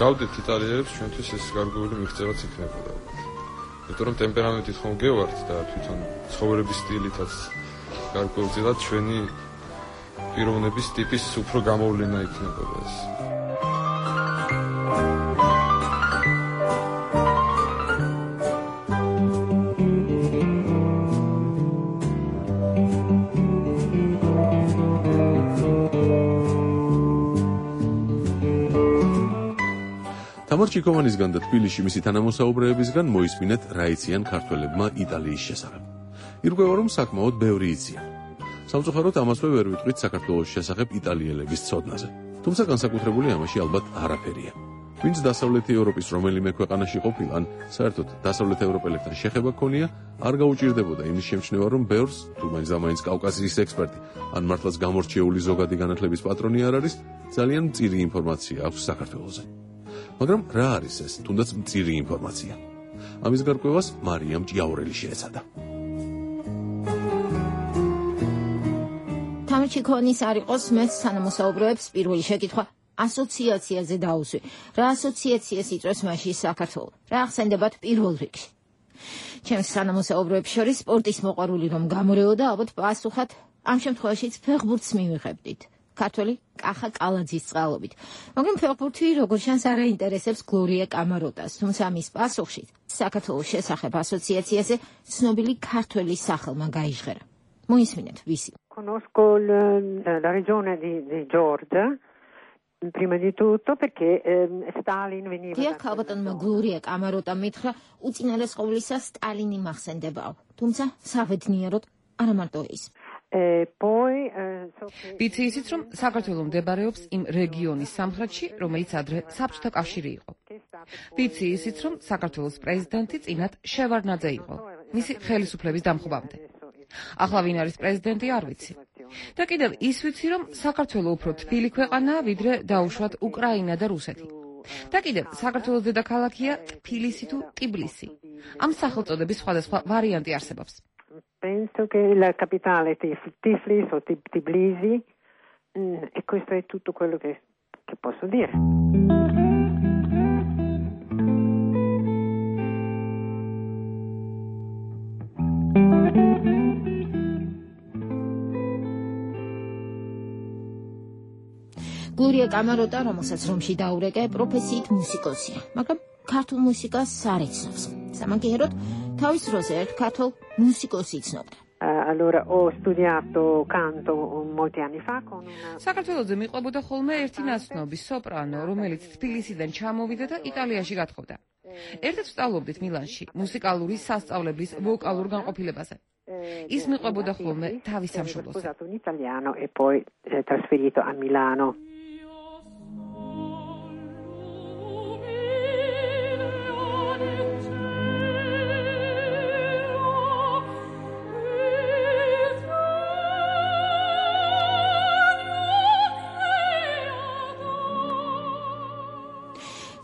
გავდეთ იტალიელებს ჩვენთვის ეს გარკვეული მიღწევაც იქნებოდა. იმიტომ რომ ტემპერამენტით ხომ გევართ და თვითონ ცხოვრების სტილითაც გარკვეულწილად ჩვენი პიროვნების ტიპის უფრო გამოვლენა იქნებოდა ეს. თამარ ჩიკოვანისგან და თბილისში მისი თანამოსაუბრეებისგან მოისმინეთ რა იციან ქართველებმა იტალიის შესახებ. ირკვევა რომ საკმაოდ ბევრი იციან. სამწუხაროდ ამასვე ვერ ვიტყვით საქართველოს შესახებ იტალიელების ცოდნაზე. თუმცა განსაკუთრებული ამაში ალბათ არაფერია. ვინც დასავლეთი ევროპის რომელიმე ქვეყანაში ყოფილან, საერთოდ დასავლეთ ევროპელებთან შეხება ქონია, არ გაუჭირდებოდა იმის შემჩნევა, რომ ბევრს, თუ მაინც და მაინც კავკასიის ექსპერტი, ან მართლაც გამორჩეული ზოგადი განათლების პატრონი არ არის, ძალიან მწირი ინფორმაცია აქვს საქართველოზე. მაგრამ რა არის ეს, თუნდაც მწირი ინფორმაცია? ამის გარკვევას მარიამ ჭიაურელი შეეცადა. თამჩიქონის არ იყოს მეც თანამოსაუბრეებს პირველი შეკითხვა ასოციაციაზე დაუსვი. რა ასოციაციას იწვევს მასში საქართველო? რა ახსენდებათ პირველ რიგში? ჩემს თანამოსაუბრეებს შორის სპორტის მოყვარული რომ გამორეოდა, ალბათ პასუხად ამ შემთხვევაშიც ფეხბურთს მივიღებდით. ქართველი კახა კალაძის წყალობით. მაგრამ ფეხბურთი როგორ შანს არ აინტერესებს გლორია კამაროტას, თუმცა მის პასუხში საქართველოს შესახებ ასოციაციაზე ცნობილი ქართველი სახელმა გაიჟღერა. მოისმინეთ ვისი. Conosco la regione di, di Georgia, prima di tutto perché eh, Stalin veniva... Დიახ, ალბათონმა გლორია კამაროტამ მითხრა, უწინარეს ყოვლისა სტალინი მახსენდებაო, თუმცა საბედნიეროდ არა მარტო ის. ვიცი ისიც, რომ საქართველო მდებარეობს იმ რეგიონის სამხრეთში, რომელიც ადრე საბჭოთა კავშირი იყო. ვიცი ისიც, რომ საქართველოს პრეზიდენტი წინათ შევარდნაძე იყო, მისი ხელისუფლების დამხობამდე. ახლა ვინ არის პრეზიდენტი არ ვიცი. და კიდევ ის ვიცი, რომ საქართველო უფრო თბილი ქვეყანაა, ვიდრე დაუშვათ უკრაინა და რუსეთი. და კიდევ საქართველოს დედაქალაქია თბილისი თუ ტიბლისი. ამ სახელწოდების სხვადასხვა ვარიანტი არსებობს. Penso che la capitale è Tiflis o Tbilisi e questo è tutto quello che, che posso dire. გლორია კამაროტა, რომელსაც რომში დაურეკე, პროფესიით მუსიკოსია, მაგრამ ქართულ მუსიკას არ იცნობს. სამაგიეროდ თავის დროზე ერთ ქართულ მუსიკოსს იცნობდა. Allora ho studiato canto molti anni fa con una საქართველოზე მიყვებოდა ხოლმე ერთი ნაცნობი სოპრანო, რომელიც თბილისიდან ჩამოვიდა და იტალიაში გათხოვდა. ერთად ვსწავლობდით მილანში მუსიკალური სასწავლებლის ვოკალურ განყოფილებაზე. ის მიყვებოდა ხოლმე თავის სამშობლოს. Ho sposato un italiano e poi trasferito a Milano.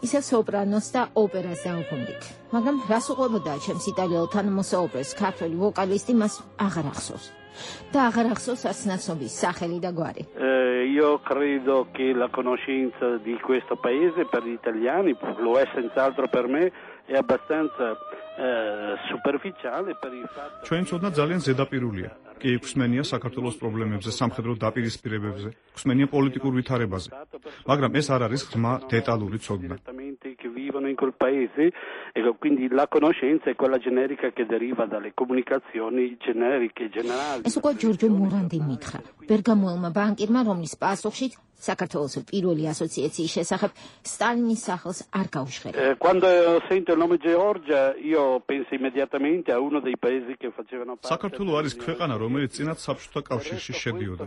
ისე სოპრანოს და ოპერას დაუბრუნდით. მაგრამ რას უყვებოდა ჩემს იტალიელ თანამოსაუბრეს ქართველი ვოკალისტი მას აღარ ახსოვს. და აღარ ახსოვს არც ნაცნობის სახელი და გვარი. Io credo che la conoscenza di questo paese per gli italiani, lo è senz'altro per me, è abbastanza superficiale per il fatto. ჩვენ ცოდნა ძალიან ზედაპირულია. კი გვსმენია საქართველოს პრობლემებზე, სამხედრო დაპირისპირებებზე, გვსმენია პოლიტიკურ ვითარებაზე. მაგრამ ეს არ არის ღრმა დეტალური ცოდნა. Che vivono in quel paese e quindi la conoscenza è quella generica che deriva dalle comunicazioni generiche generali. ეს უკვე ჯორჯო მორანდი მითხრა. ბერგამოელმა ბანკირმა, რომლის პასუხში საქართველოს პირველი ასოციაციის შესახებ სტალინის სახელს არ გაუჟღერა. Quando sento il nome Georgia, io penso immediatamente a uno dei paesi che facevano parte. საქართველო არის ქვეყანა, რომელიც წინათ საბჭოთა კავშირში შედიოდა.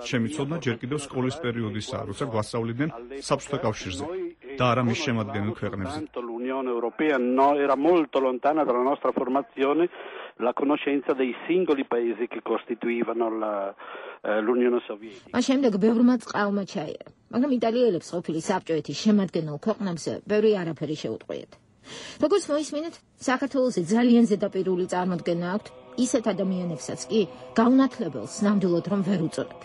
ჩემი ცოდნა ჯერ კიდევ სკოლის პერიოდისაა, როცა გვასწავლიდნენ საბჭოთა კავშირზე და არა მის შემადგენელ ქვეყნებზე. L'Unione Europea no, era molto lontana dalla nostra formazione la conoscenza dei singoli paesi che costituivano la l'Unione Sovietica. მას შემდეგ ბევრმა წყალმა ჩაირა, მაგრამ იტალიელებს ყოფილი საბჭოეთის შემადგენელ ქვეყნებზე ბევრი არაფერი შეუტყვიათ. როგორც მოისმინეთ, საქართველოზე ძალიან ზედაპირული წარმოდგენა აქვთ ისეთ ადამიანებსაც კი გაუნათლებელს ნამდვილად რომ ვერ უწოდებ.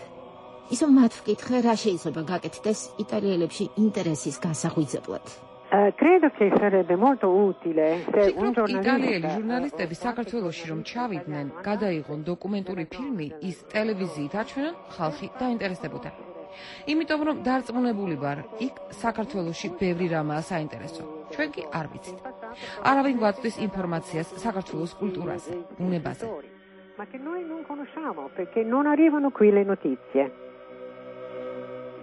ისო მათ ვკითხე, რა შეიძლება გაკეთდეს იტალიელებში ინტერესის განსახვიძებლად. Credo che sarebbe molto utile se un giornalista იტალიელი ჟურნალისტები საქართველოში რომ ჩავიდნენ, გადაიღონ დოკუმენტური ფილმი, ის ტელევიზიით აჩვენონ, ხალხი დაინტერესდებოდა. იმიტომ რომ დარწმუნებული ვარ, იქ საქართველოში ბევრი რამაა საინტერესო. ჩვენ კი არ ვიცით. არავინ გვაწვდის ინფორმაციას საქართველოს კულტურაზე, ბუნებაზე. Ma che noi non conosciamo perché non arrivano qui le notizie.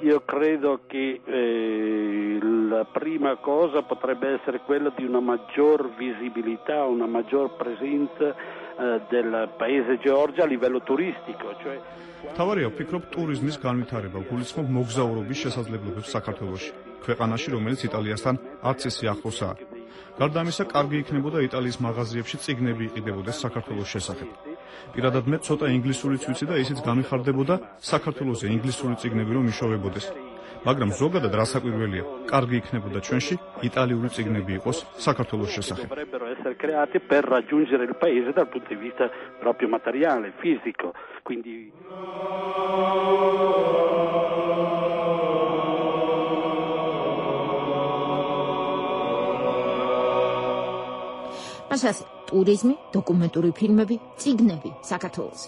Io credo che eh, la prima cosa potrebbe essere quella di una maggior visibilità, una maggior presenza eh, del paese Georgia a livello turistico, cioè თავარია ვფიქრობ ტურიზმის განვითარება, გულისხმობ მოგზაურობის შესაძლებლობებს საქართველოში, ქვეყანაში, რომელიც იტალიასთან არც ისე ახლოსაა. გარდა ამისა, კარგი იქნებოდა იტალიის მაღაზიებში წიგნები იყიდებოდეს საქართველოს შესახებ. პირადად მე ცოტა ინგლისურიც ვიცი და ისიც გამიხარდებოდა საქართველოზე ინგლისური წიგნები რომ იშოვებოდეს. მაგრამ ზოგადად რასაკვირველია, კარგი იქნებოდა ჩვენში იტალიური წიგნები იყოს საქართველოს შესახებ. Dovrebbero essere creati per raggiungere il paese dal punto di vista proprio materiale, fisico, quindi მასაც ტურიზმი, დოკუმენტური ფილმები, წიგნები საქართველოს.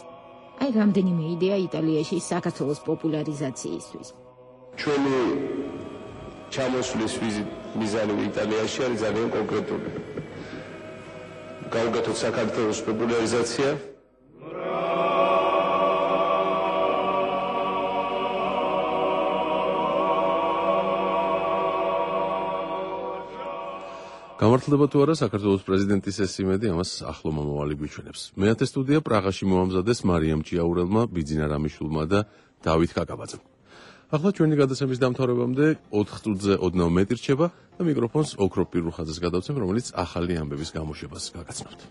აი რამდენიმე იდეა იტალიაში საქართველოს პოპულარიზაციისთვის. ჩვენი ჩამოსვლის მიზანი იტალიაში არის ძალიან კონკრეტული. გავუკეთოთ საქართველოს პოპულარიზაცია. გამართლდება თუ არა საქართველოს პრეზიდენტის ეს იმედი ამას ახლო მომავალი გვიჩვენებს. მეათე სტუდია პრაღაში მოამზადეს მარიამ ჭიაურელმა, ბიძინა რამიშვილმა და დავით კაკაბაძემ. ახლა ჩვენი გადაცემის დამთავრებამდე ოთხ წუთზე ოდნავ მეტი რჩება და მიკროფონს ოქრო პირუხაძეს გადავცემ, რომელიც ახალი ამბების გამოშვებას გაგაცნობთ.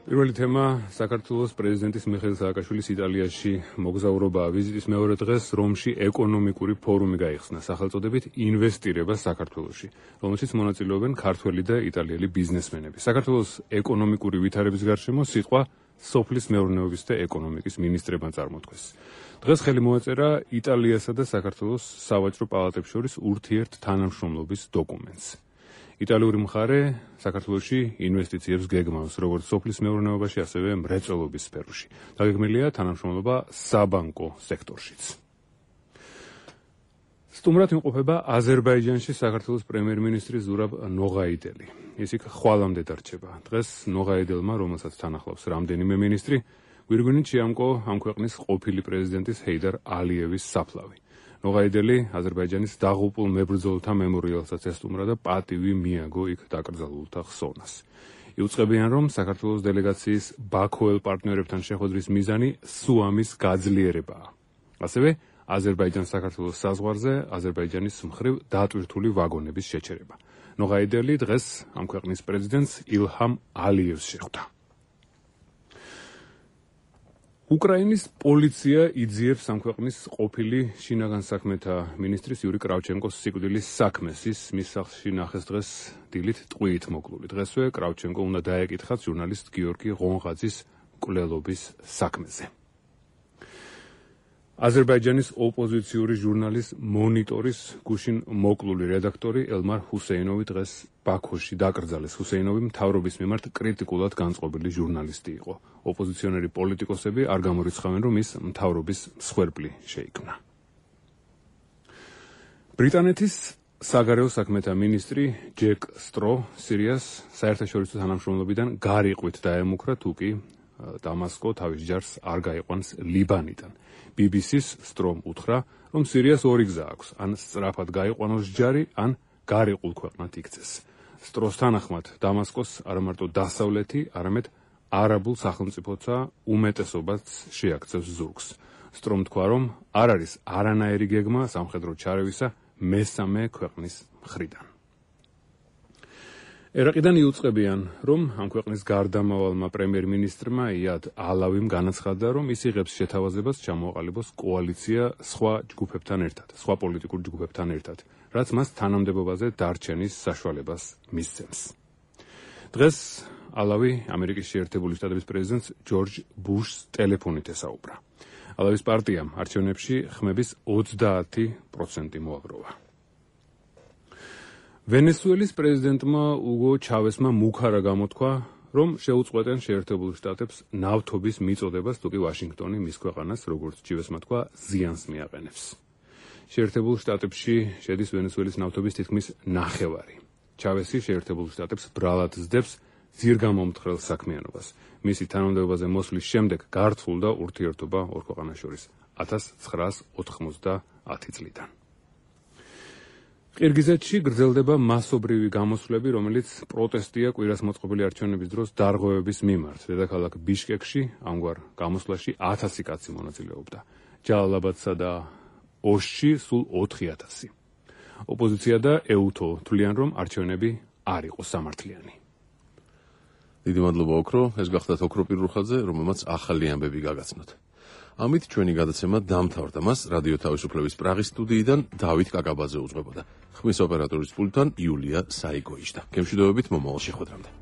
პირველი თემა საქართველოს პრეზიდენტის მიხეილ სააკაშვილის იტალიაში მოგზაურობაა. ვიზიტის მეორე დღეს რომში ეკონომიკური ფორუმი გაიხსნა სახელწოდებით ინვესტირება საქართველოში, რომელშიც მონაწილეობენ ქართველი და იტალიელი ბიზნესმენები. საქართველოს ეკონომიკური ვითარების გარშემო სიტყვა სოფლის მეურნეობის და ეკონომიკის მინისტრებმა წარმოთქვეს. დღეს ხელი მოაწერა იტალიასა და საქართველოს სავაჭრო პალატებს შორის ურთიერთ თანამშრომლობის დოკუმენტს. იტალიური მხარე საქართველოში ინვესტიციებს გეგმავს როგორც სოფლის მეურნეობაში, ასევე მრეწველობის სფეროში. დაგეგმილია თანამშრომლობა საბანკო სექტორშიც. სტუმრად იმყოფება აზერბაიჯანში საქართველოს პრემიერ-მინისტრი ზურაბ ნოღაიდელი. ის იქ ხვალამდე დარჩება. დღეს ნოღაიდელმა, რომელსაც თან ახლავს რამდენიმე მინისტრი, გვირგვინით შეამკო ამ ქვეყნის ყოფილი პრეზიდენტის ჰეიდარ ალიევის საფლავი. ნოღაიდელი აზერბაიჯანის დაღუპულ მებრძოლთა მემორიალსაც ესტუმრა და პატივი მიაგო იქ დაკრძალულთა ხსოვნას. იუწყებიან, რომ საქართველოს დელეგაციის ბაქოელ პარტნიორებთან შეხვედრის მიზანი სუამის გაძლიერებაა. ასევე აზერბაიჯან-საქართველოს საზღვარზე აზერბაიჯანის მხრივ დატვირთული ვაგონების შეჩერება. ნოღაიდელი დღეს ამ ქვეყნის პრეზიდენტს ილჰამ ალიევს შეხვდა. უკრაინის პოლიცია იძიებს ამ ქვეყნის ყოფილი შინაგან საქმეთა მინისტრის იური კრავჩენკოს სიკვდილის საქმეს. ის მის სახლში ნახეს დღეს დილით ტყვიით მოკლული. დღესვე კრავჩენკო უნდა დაეკითხათ ჟურნალისტ გიორგი ღონღაძის მკვლელობის საქმეზე. აზერბაიჯანის ოპოზიციური ჟურნალის მონიტორის გუშინ მოკლული რედაქტორი ელმარ ჰუსეინოვი დღეს ბაქოში დაკრძალეს. ჰუსეინოვი მთავრობის მიმართ კრიტიკულად განწყობილი ჟურნალისტი იყო. ოპოზიციონერი პოლიტიკოსები არ გამორიცხავენ, რომ ის მთავრობის მსხვერპლი შეიქმნა. ბრიტანეთის საგარეო საქმეთა მინისტრი ჯეკ სტრო სირიას საერთაშორისო თანამშრომლობიდან გარიყვით დაემუქრა, თუ კი დამასკო თავის ჯარს არ გაიყვანს ლიბანიდან. ბი ბი სის სტრომ უთხრა, რომ სირიას ორი გზა აქვს, ან სწრაფად გაიყვანოს ჯარი, ან გარიყულ ქვეყნად იქცეს. სტროს თანახმად დამასკოს არა მარტო დასავლეთი, არამედ არაბულ სახელმწიფოთა უმეტესობაც შეაქცევს ზურგს. სტრომ თქვა, რომ არ არის არანაირი გეგმა სამხედრო ჩარევისა მესამე ქვეყნის მხრიდან. ერაყიდან იუწყებიან, რომ ამ ქვეყნის გარდამავალმა პრემიერ-მინისტრმა იად ალავიმ განაცხადა, რომ ის იღებს შეთავაზებას ჩამოაყალიბოს კოალიცია სხვა ჯგუფებთან ერთად, სხვა პოლიტიკურ ჯგუფებთან ერთად, რაც მას თანამდებობაზე დარჩენის საშუალებას მისცემს. დღეს ალავი ამერიკის შეერთებული შტატების პრეზიდენტს ჯორჯ ბუშს ტელეფონით ესაუბრა. ალავის პარტიამ არჩევნებში ხმების ოცდაათი პროცენტი მოაგროვა. ვენესუელის პრეზიდენტმა უგო ჩავესმა მუქარა გამოთქვა, რომ შეუწყვეტენ შეერთებულ შტატებს ნავთობის მიწოდებას, თუ კი ვაშინგტონი მის ქვეყანას, როგორც ჩივესმა თქვა, ზიანს მიაყენებს. შეერთებულ შტატებში შედის ვენესუელის ნავთობის თითქმის ნახევარი. ჩავესი შეერთებულ შტატებს ბრალად ზდებს ძირგამომთხრელ საქმიანობას. მისი თანამდებობაზე მოსვლის შემდეგ გართულდა ურთიერთობა ორ ქვეყანას შორის ათას ცხრაას ოთხმოცდაათი წლიდან. ყირგიზეთში გრძელდება მასობრივი გამოსვლები, რომელიც პროტესტია კვირას მოწყობილი არჩევნების დროს დარღვევების მიმართ. დედაქალაქ ბიშკეკში ამგვარ გამოსვლაში ათასი კაცი მონაწილეობდა. ჯალალაბადსა და ოში სულ ოთხი ათასი. ოპოზიცია და ეუთო თვლიან, რომ არჩევნები არ იყო სამართლიანი. დიდი მადლობა ოქრო, ეს გახდათ ოქრო პირუხაძე, რომელმაც ახალი ამბები გაგაცნოთ. ამით ჩვენი გადაცემა დამთავრდა. მას რადიო თავისუფლების პრაღის სტუდიიდან დავით კაკაბაძე უძღვებოდა. ხმის ოპერატორის პულტთან იულია საიგოიჟდა. გემშვიდობებით მომავალ შეხვედრამდე.